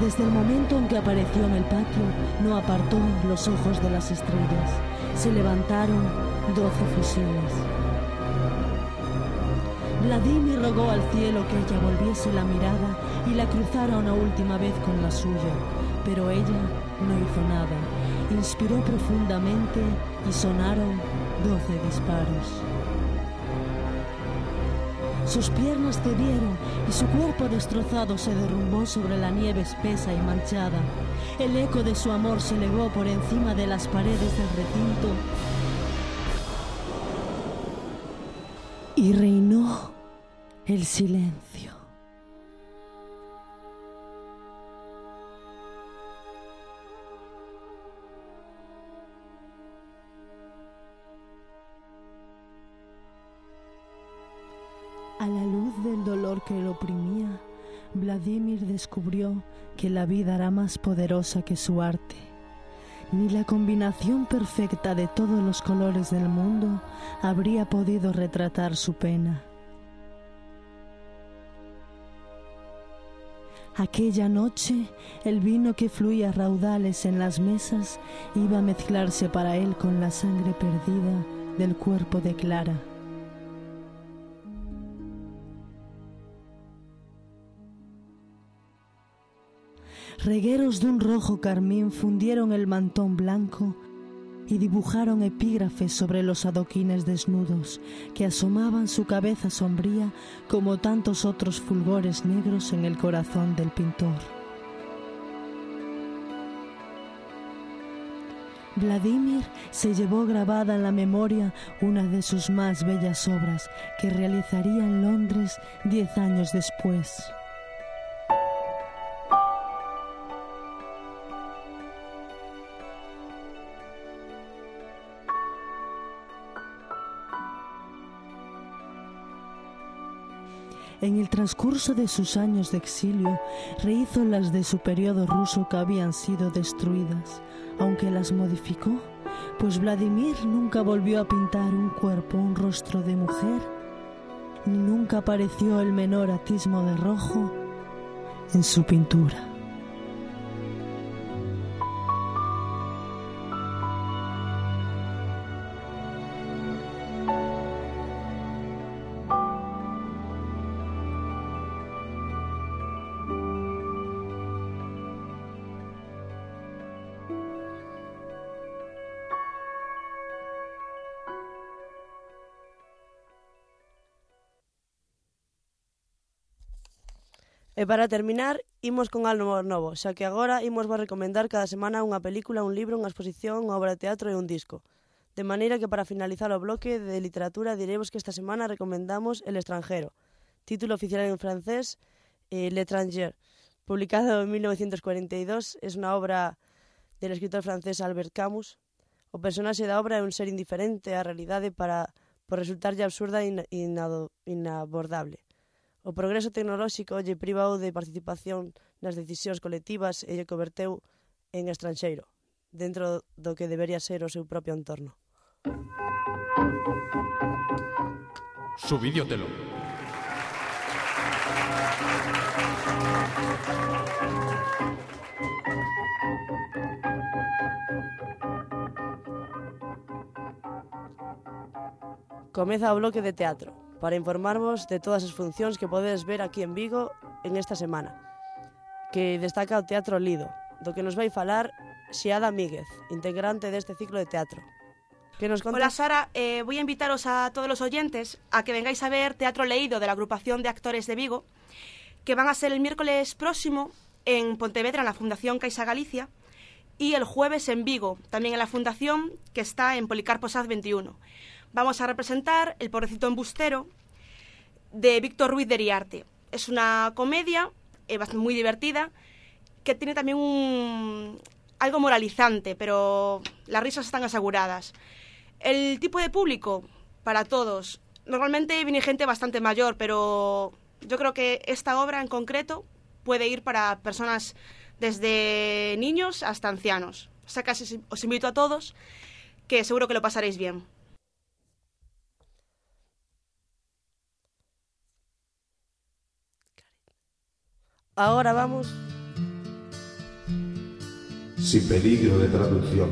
Desde el momento en que apareció en el patio, no apartó los ojos de las estrellas. Se levantaron 12 fusiles. Vladimir rogó al cielo que ella volviese la mirada y la cruzara una última vez con la suya, pero ella no hizo nada. Inspiró profundamente y sonaron 12 disparos. Sus piernas cedieron y su cuerpo destrozado se derrumbó sobre la nieve espesa y manchada. El eco de su amor se elevó por encima de las paredes del recinto y reinó el silencio. A la luz del dolor que lo oprimía, Vladimir descubrió que la vida era más poderosa que su arte. Ni la combinación perfecta de todos los colores del mundo habría podido retratar su pena. Aquella noche, el vino que fluía a raudales en las mesas iba a mezclarse para él con la sangre perdida del cuerpo de Clara. Regueros de un rojo carmín fundieron el mantón blanco y dibujaron epígrafes sobre los adoquines desnudos que asomaban su cabeza sombría como tantos otros fulgores negros en el corazón del pintor. Vladimir se llevó grabada en la memoria una de sus más bellas obras que realizaría en Londres 10 años después. En el transcurso de sus años de exilio, rehizo las de su periodo ruso que habían sido destruidas, aunque las modificó, pues Vladimir nunca volvió a pintar un cuerpo, un rostro de mujer, ni nunca apareció el menor atismo de rojo en su pintura. E para terminar, imos con algo novo, xa que agora imos vos recomendar cada semana unha película, un libro, unha exposición, unha obra de teatro e un disco. De maneira que para finalizar o bloque de literatura diremos que esta semana recomendamos El extranjero, título oficial en francés L'Étranger, publicado en 1942, es unha obra del escritor francés Albert Camus. O personaxe da obra é un ser indiferente á realidade por resultarlle absurda e inabordable. O progreso tecnolóxico lle privou de participación nas decisións colectivas e lle converteu en estranxeiro, dentro do que debería ser o seu propio entorno. Subídiotelo. Comeza o bloque de teatro, para informarvos de todas as funcións que podedes ver aquí en Vigo en esta semana, que destaca o Teatro Lido, do que nos vai falar Xiada Míguez, integrante deste ciclo de teatro. ¿Qué nos contas? Hola Sara, voy a invitaros a todos los oyentes a que vengáis a ver Teatro Leído de la Agrupación de Actores de Vigo, que van a ser el miércoles próximo en Pontevedra, en la Fundación Caixa Galicia, y el jueves en Vigo, también en la Fundación, que está en Policarpo Saz 21. Vamos a representar El pobrecito embustero, de Víctor Ruiz de Riarte. Es una comedia muy divertida, que tiene también algo moralizante, pero las risas están aseguradas. El tipo de público, para todos. Normalmente viene gente bastante mayor, pero yo creo que esta obra en concreto puede ir para personas desde niños hasta ancianos. O sea, casi os invito a todos, que seguro que lo pasaréis bien. Ahora vamos... Sin peligro de traducción.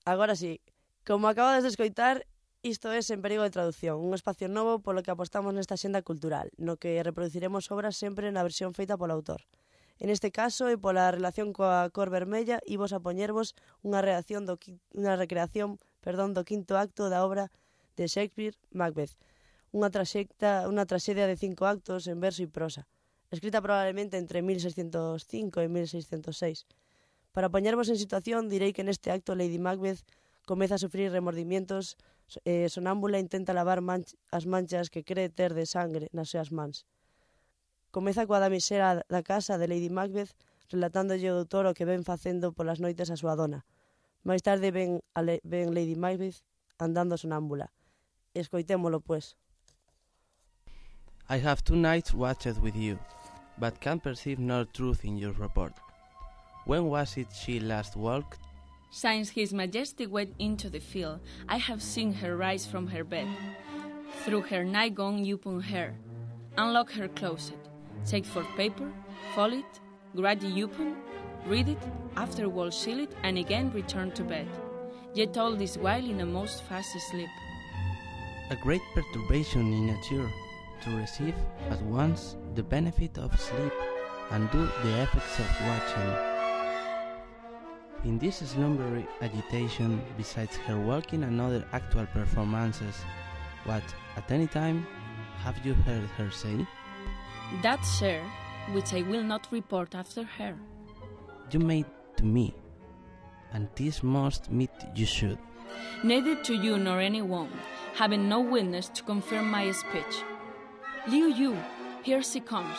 Agora sí, como acabades de escoitar, isto é Sen perigo de traducción, un espacio novo polo que apostamos nesta xenda cultural, no que reproduciremos obras sempre na versión feita polo autor. En este caso, e pola relación coa cor vermella, imos a poñervos unha recreación do quinto acto da obra de Shakespeare, Macbeth, unha traxedia de 5 actos en verso e prosa, escrita probablemente entre 1605 e 1606. Para poñervos en situación, direi que neste acto Lady Macbeth comeza a sufrir remordimientos e sonámbula intenta lavar as manchas que cree ter de sangre nas súas mans. Comeza coa damisela da casa de Lady Macbeth relatándolle o doutor o que ven facendo polas noites a súa dona. Máis tarde ven Lady Macbeth andando sonámbula. Escoitémolo, pues. I have 2 nights watched with you, but can perceive no truth in your report. When was it she last walked? Since His Majesty went into the field, I have seen her rise from her bed. Through her nightgown upon her, unlock her closet, take forth paper, fold it, grade it open, read it, afterwards seal it, and again return to bed. Yet all this while in a most fast sleep. A great perturbation in nature, to receive at once the benefit of sleep and do the effects of watching. In this slumbery agitation, besides her walking and other actual performances, what, at any time, have you heard her say? That, sir, which I will not report after her. You made to me, and this must meet you should. Neither to you nor anyone, having no witness to confirm my speech. Liu Yu, here she comes.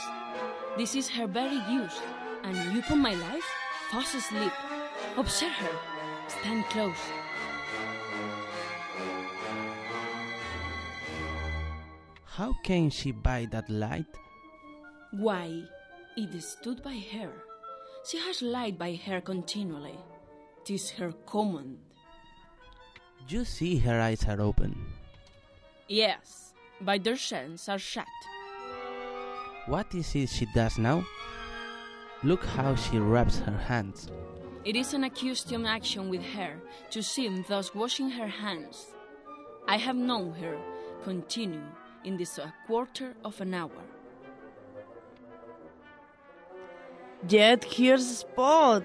This is her very use, and you upon my life, fast asleep. Observe her. Stand close. How came she by that light? Why, it stood by her. She has light by her continually. 'Tis her command. You see her eyes are open. Yes, but their senses are shut. What is it she does now? Look how she rubs her hands. It is an accustomed action with her to seem thus washing her hands. I have known her continue in this a quarter of an hour. Yet here's Spot.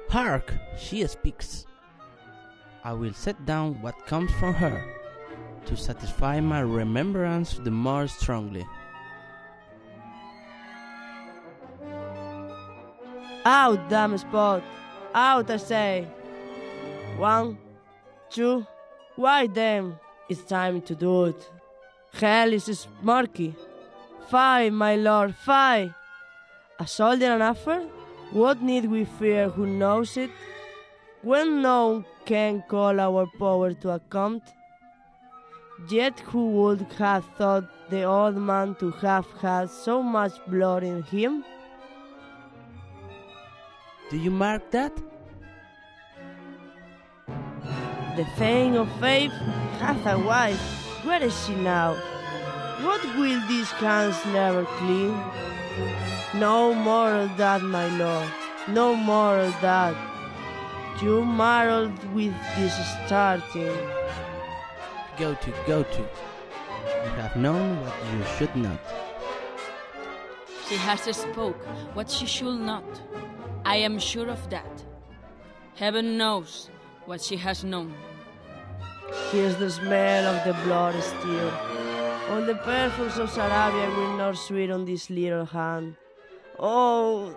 Hark! She speaks. I will set down what comes from her, to satisfy my remembrance the more strongly. Out, damn Spot! Out, I say! 1, 2, why then? It's time to do it. Hell is smarky. Fie, my lord, fie! A soldier an offer? What need we fear who knows it? When none can call our power to account? Yet who would have thought the old man to have had so much blood in him? Do you mark that? The Thane of Faith hath a wife. Where is she now? What will these hands never clean? No more of that, my lord. No more of that. You marred with this starting. Go to. You have known what you should not. She has spoke what she should not. I am sure of that. Heaven knows what she has known. Here's the smell of the blood still. All the perfumes of Sarabia will not sweet on this little hand. Oh.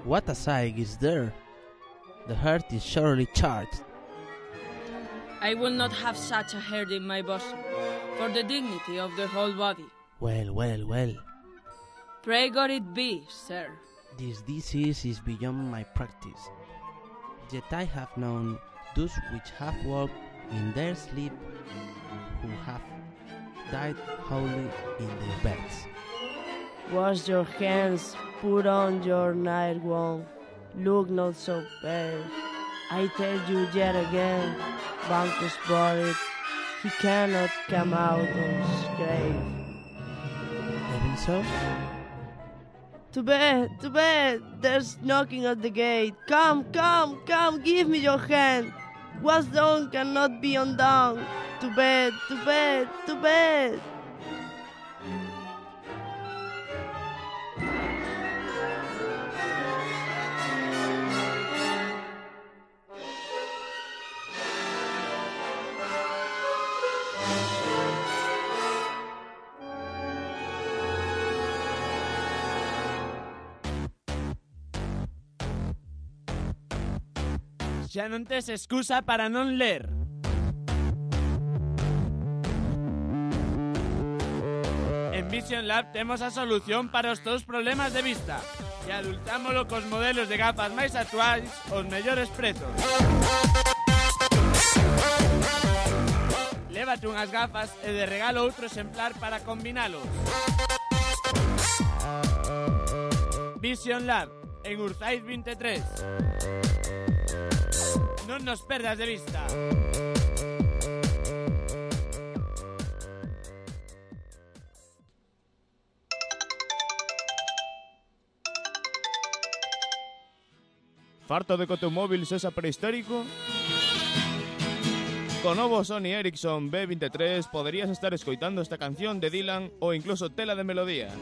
What a sight is there! The heart is surely charged. I will not have such a heart in my bosom, for the dignity of the whole body. Well. Pray God it be, sir. This disease is beyond my practice. Yet I have known those which have walked in their sleep, who have died wholly in their beds. Wash your hands, put on your night gown. Look not so pale. I tell you yet again, Banco's buried. He cannot come out of his grave. Even so? To bed, there's knocking at the gate. Come, give me your hand. What's done cannot be undone. To bed. Xa non tes excusa para non ler. En Vision Lab temos a solución para os teus problemas de vista e adultámolo cos modelos de gafas máis actuais aos mellores prezos. Lévate unhas gafas e de regalo outro exemplar para combinalos. Vision Lab, en Urzaiz 23. Non nos perdas de vista. Farto de que o teu móvil sexa prehistórico? Co novo Sony Ericsson B23 poderías estar escoitando esta canción de Dylan ou incluso tela de melodía.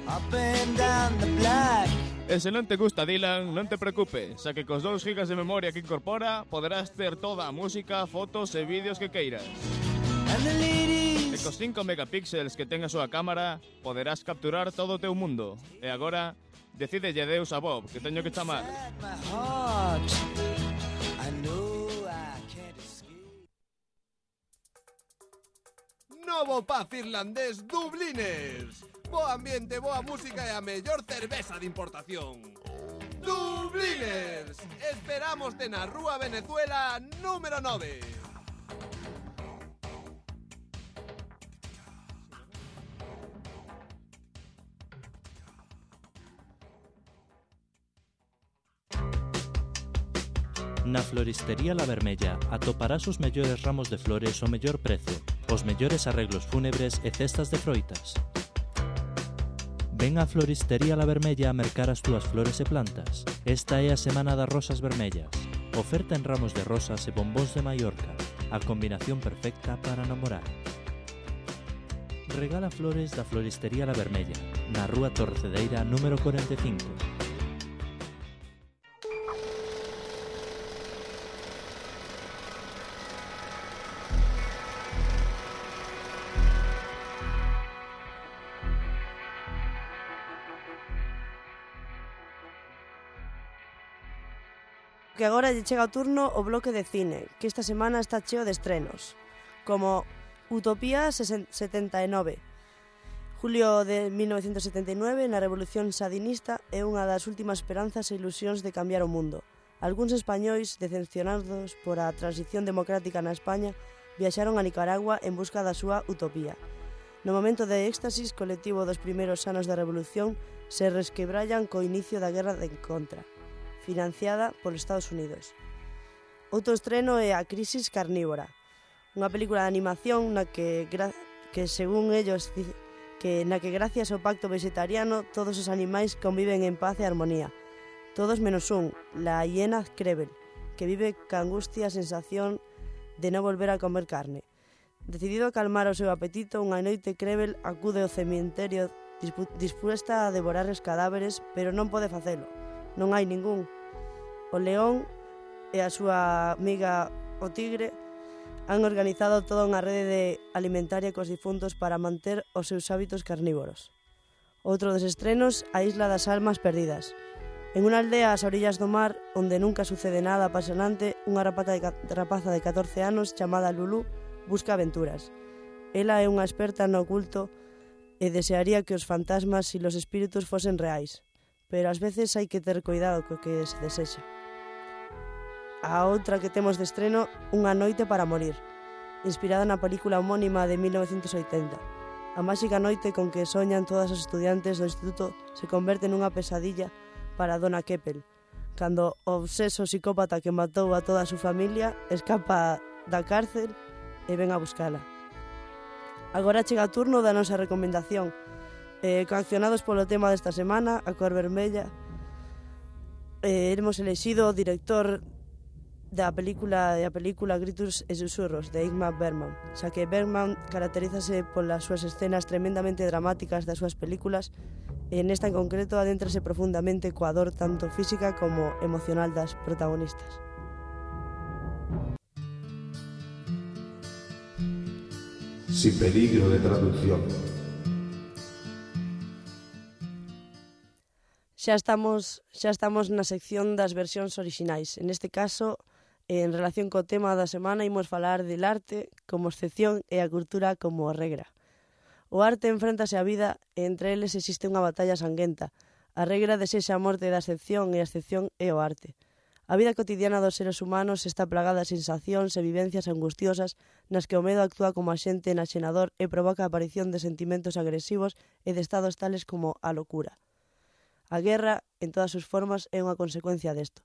E se non te gusta Dylan, non te preocupes, xa que cos 2 GB de memoria que incorpora poderás ter toda a música, fotos e vídeos que queiras. E cos 5 megapíxeles que ten a súa cámara poderás capturar todo o teu mundo. E agora, decídelle adeus a Bob, que teño que chamar. Novo pub irlandés Dubliners. Bo ambiente, boa música e a mellor cerveza de importación. Dubliners. Esperámoste na Rúa Venezuela número 9. Na floristería La Vermella atoparás os mellores ramos de flores ao mellor prezo, os mellores arreglos fúnebres e cestas de froitas. Ven á floristería La Vermella a mercar as túas flores e plantas. Esta é a Semana das Rosas Vermellas. Oferta en ramos de rosas e bombóns de Mallorca. A combinación perfecta para namorar. Regala flores da floristería La Vermella, na Rúa Torcedeira número 45. Que agora lle chega o turno o bloque de cine, que esta semana está cheo de estrenos, como Utopía 79. Julio de 1979, na Revolución Sandinista, é unha das últimas esperanzas e ilusións de cambiar o mundo. Algúns españois, decepcionados por a transición democrática na España, viaxaron a Nicaragua en busca da súa utopía. No momento de éxtasis colectivo dos primeiros anos da Revolución, se resquebrallan co inicio da Guerra de Contra, financiada polos Estados Unidos. Outro estreno é A Crisis Carnívora, unha película de animación na que según ellos, na que gracias ao pacto vegetariano todos os animais conviven en paz e armonía. Todos menos un, la hiena Krevel, que vive ca angustia a sensación de non volver a comer carne. Decidido a calmar o seu apetito, unha noite Krevel acude ao cemiterio dispuesta a devorar os cadáveres, pero non pode facelo. Non hai ningún. O león e a súa amiga o tigre han organizado toda unha rede de alimentaria cos difuntos para manter os seus hábitos carnívoros. Outro dos estrenos, A Isla das Almas Perdidas. En unha aldea ás orillas do mar, onde nunca sucede nada apasionante, unha rapaza de 14 anos chamada Lulu busca aventuras. Ela é unha experta no oculto e desearía que os fantasmas e os espíritus fosen reais, pero ás veces hai que ter cuidado co que se desexa. A outra que temos de estreno, Unha noite para morir, inspirada na película homónima de 1980. A máxica noite con que soñan todas os estudiantes do instituto se converte nunha pesadilla para Donna Keppel, cando o obseso psicópata que matou a toda a súa familia escapa da cárcel e ven a buscala. Agora chega o turno da nosa recomendación. Coaccionados polo tema desta semana, a cor vermella, hemos elexido o director da película Gritos e Susurros, de Ingmar Bergman, xa que Bergman caracterízase polas súas escenas tremendamente dramáticas das súas películas, e nesta en concreto adéntrase profundamente coa dor tanto física como emocional das protagonistas. Sin peligro de traducción. Xa estamos na sección das versións orixinais. En este caso, en relación co tema da semana, imos falar del arte como excepción e a cultura como regra. O arte enfréntase á vida e entre eles existe unha batalla sanguenta. A regra desexa a morte da excepción e a excepción é o arte. A vida cotidiana dos seres humanos está plagada de sensacións e vivencias angustiosas nas que o medo actúa como axente enaxenador e provoca a aparición de sentimentos agresivos e de estados tales como a locura. A guerra, en todas as formas, é unha consecuencia desto.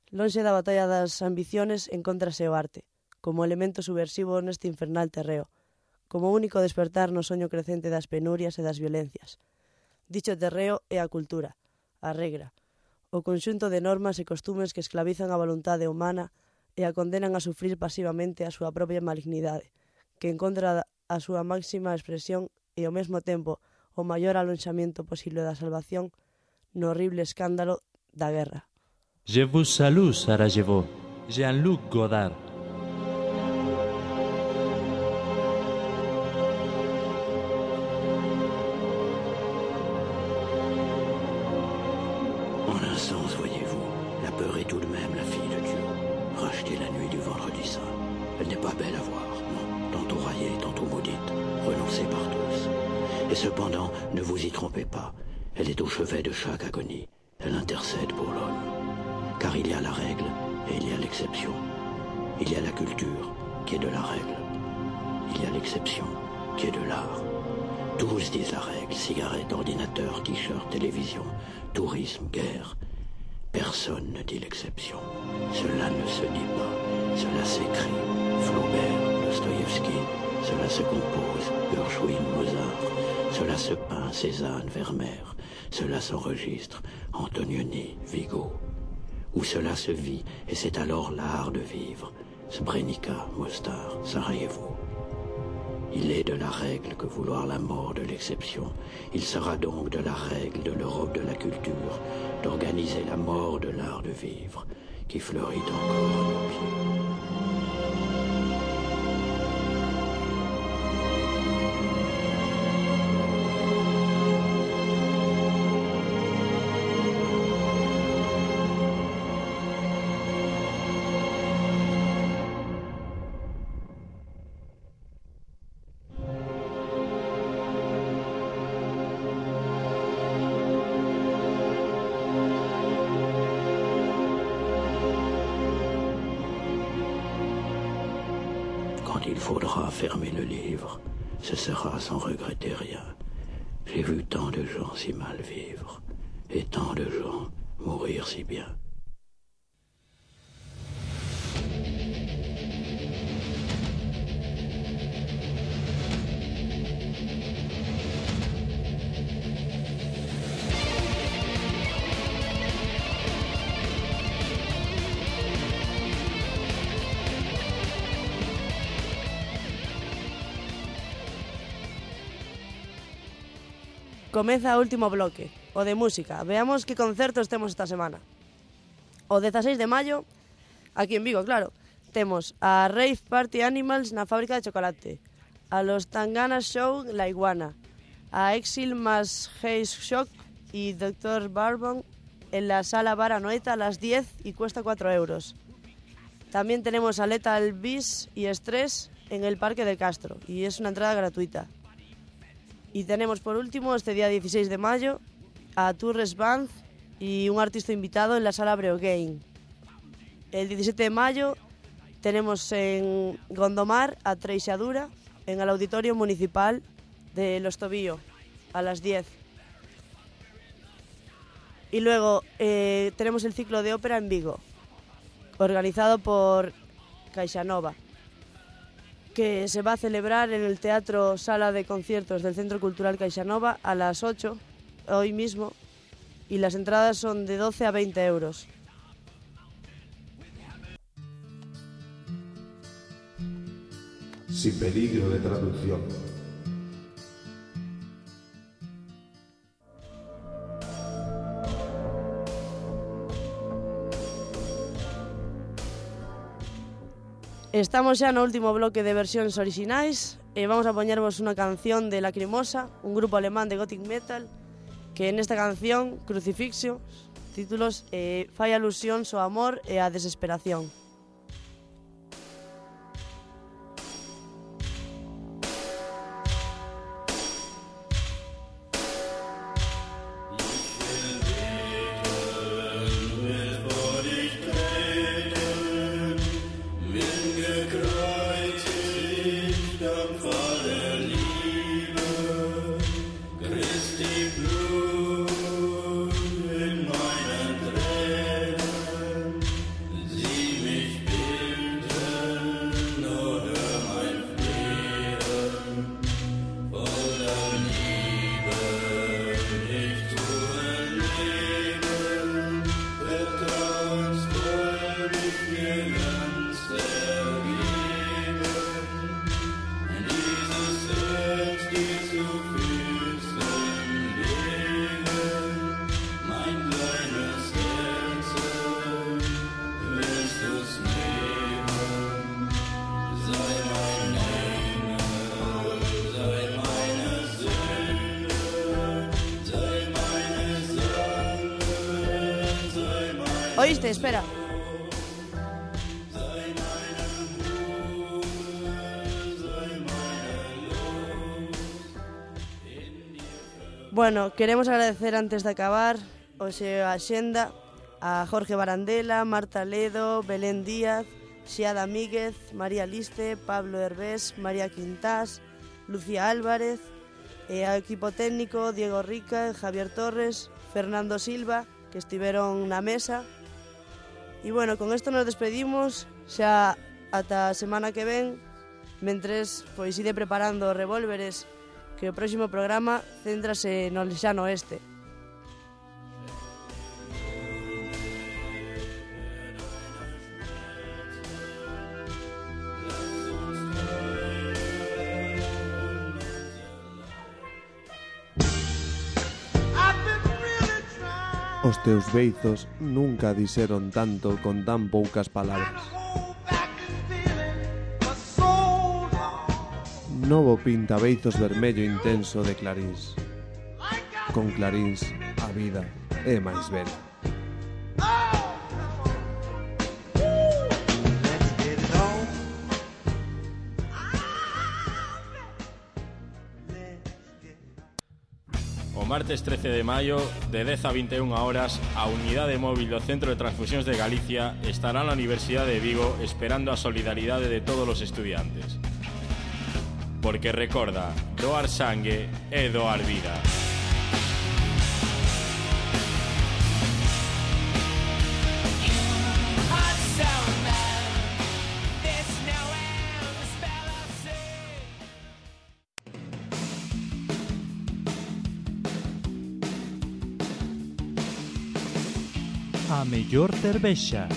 Lonxe da batalla das ambiciones encóntrase o arte, como elemento subversivo neste infernal terreo, como único despertar no soño crecente das penurias e das violencias. Dicho terreo é a cultura, a regra, o conxunto de normas e costumes que esclavizan a voluntade humana e a condenan a sufrir pasivamente a súa propia malignidade, que encontra a súa máxima expresión e ao mesmo tempo o maior alonxamiento posible da salvación no horrible escándalo da guerra. Je vous salue, Sarajevo. Jean-Luc Godard. En un sens, voyez-vous, la peur est tout de même la fille de Dieu, rachetée la nuit du vendredi saint. Elle n'est pas belle à voir, non, tantôt raillée, tantôt maudite, renoncée par tous. Et cependant, ne vous y trompez pas, elle est au chevet de chaque agonie, elle intercède pour l'homme. Car il y a la règle et il y a l'exception. Il y a la culture qui est de la règle. Il y a l'exception qui est de l'art. Tous disent la règle, cigarettes, ordinateur, t-shirt, télévision, tourisme, guerre. Personne ne dit l'exception. Cela ne se dit pas. Cela s'écrit. Flaubert, Dostoïevski. Cela se compose. Gershwin, Mozart. Cela se peint. Cézanne, Vermeer. Cela s'enregistre. Antonioni, Vigo. Où cela se vit, et c'est alors l'art de vivre. Srebrenica, Mostar, Sarajevo. Il est de la règle que vouloir la mort de l'exception. Il sera donc de la règle de l'Europe de la culture, d'organiser la mort de l'art de vivre, qui fleurit encore à nos pieds. Il faudra fermer le livre, ce sera sans regretter rien. J'ai vu tant de gens si mal vivre, et tant de gens mourir si bien. Comeza o último bloque, o de música. Veamos que concertos temos esta semana. O 16 de maio, aquí en Vigo, claro, temos a Rave Party Animals na fábrica de chocolate, a los Tangana Show La Iguana, a Exil más Haze Shock y Dr. Barbon en la sala Bar Anoeta a las 10 y cuesta 4 euros. También tenemos a Lethal Beast y Stress en el Parque de Castro y es una entrada gratuita. Y tenemos por último este día 16 de mayo a Tourist Band y un artista invitado en la sala Breogain. El 17 de mayo tenemos en Gondomar a Treixadura en el Auditorio Municipal de Los Tobillo a las 10. Y luego tenemos el ciclo de ópera en Vigo, organizado por CaixaNova, que se va a celebrar en el Teatro Sala de Conciertos del Centro Cultural CaixaNova a las 8, hoy mismo, y las entradas son de 12 a 20 euros. Sin peligro de traducción. Estamos xa no último bloque de versións orixinais e vamos a poñervos unha canción de Lacrimosa, un grupo alemán de gothic metal, que nesta canción, Crucifixio, títulos, fai alusións ao amor e á desesperación. Oíste, espera. Bueno, queremos agradecer antes de acabar hoxe a xenda a Jorge Barandela, Marta Ledo, Belén Díaz, Xiada Míguez, María Liste, Pablo Herbés, María Quintás, Lucía Álvarez, e ao equipo técnico Diego Rica, Javier Torres, Fernando Silva, que estiveron na mesa. E bueno, con isto nos despedimos xa ata a semana que ven. Mentres, pois ide preparando os revólveres, que o próximo programa céntrase no lexano oeste. Os teus beizos nunca dixeron tanto con tan poucas palabras. Novo pintabeizos vermello intenso de Clarís. Con Clarís, a vida é máis bela. O martes 13 de maio, de 10 a 21 horas, a unidade móvil do Centro de Transfusións de Galicia estará na Universidade de Vigo esperando a solidaridade de todos os estudiantes. Porque recorda, doar sangue é doar vida. A mellor cervexa,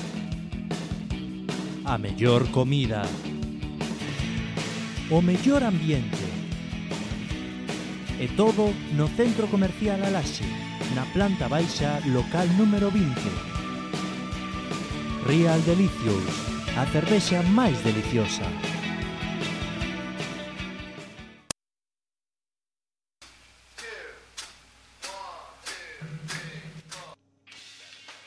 a mellor comida, o mellor ambiente. E todo no Centro Comercial Alaxe, na planta baixa, local número 20. Real Delicious, a cervexa máis deliciosa.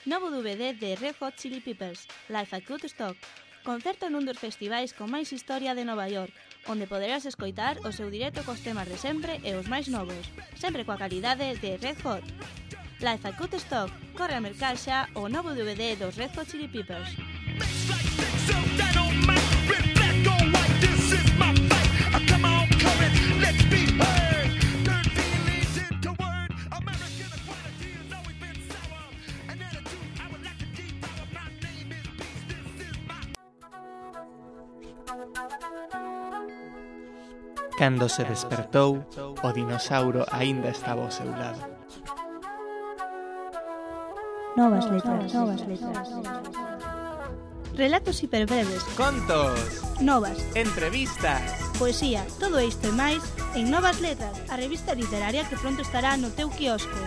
Novo DVD de Red Hot Chili Peppers, Life at Woodstock, concerto nun dos festivais con máis historia de Nova York, onde poderás escoitar o seu directo cos temas de sempre e os máis novos, sempre coa calidade de Red Hot. Life at Woodstock, corre a mercar xa o novo DVD dos Red Hot Chili Peppers. Cando se despertou, o dinosauro aínda estaba ao seu lado. Novas letras, novas letras. Relatos hiperbreves, Contos, novas, entrevistas. poesía, todo isto e máis en Novas Letras, a revista literaria que pronto estará no teu quiosco.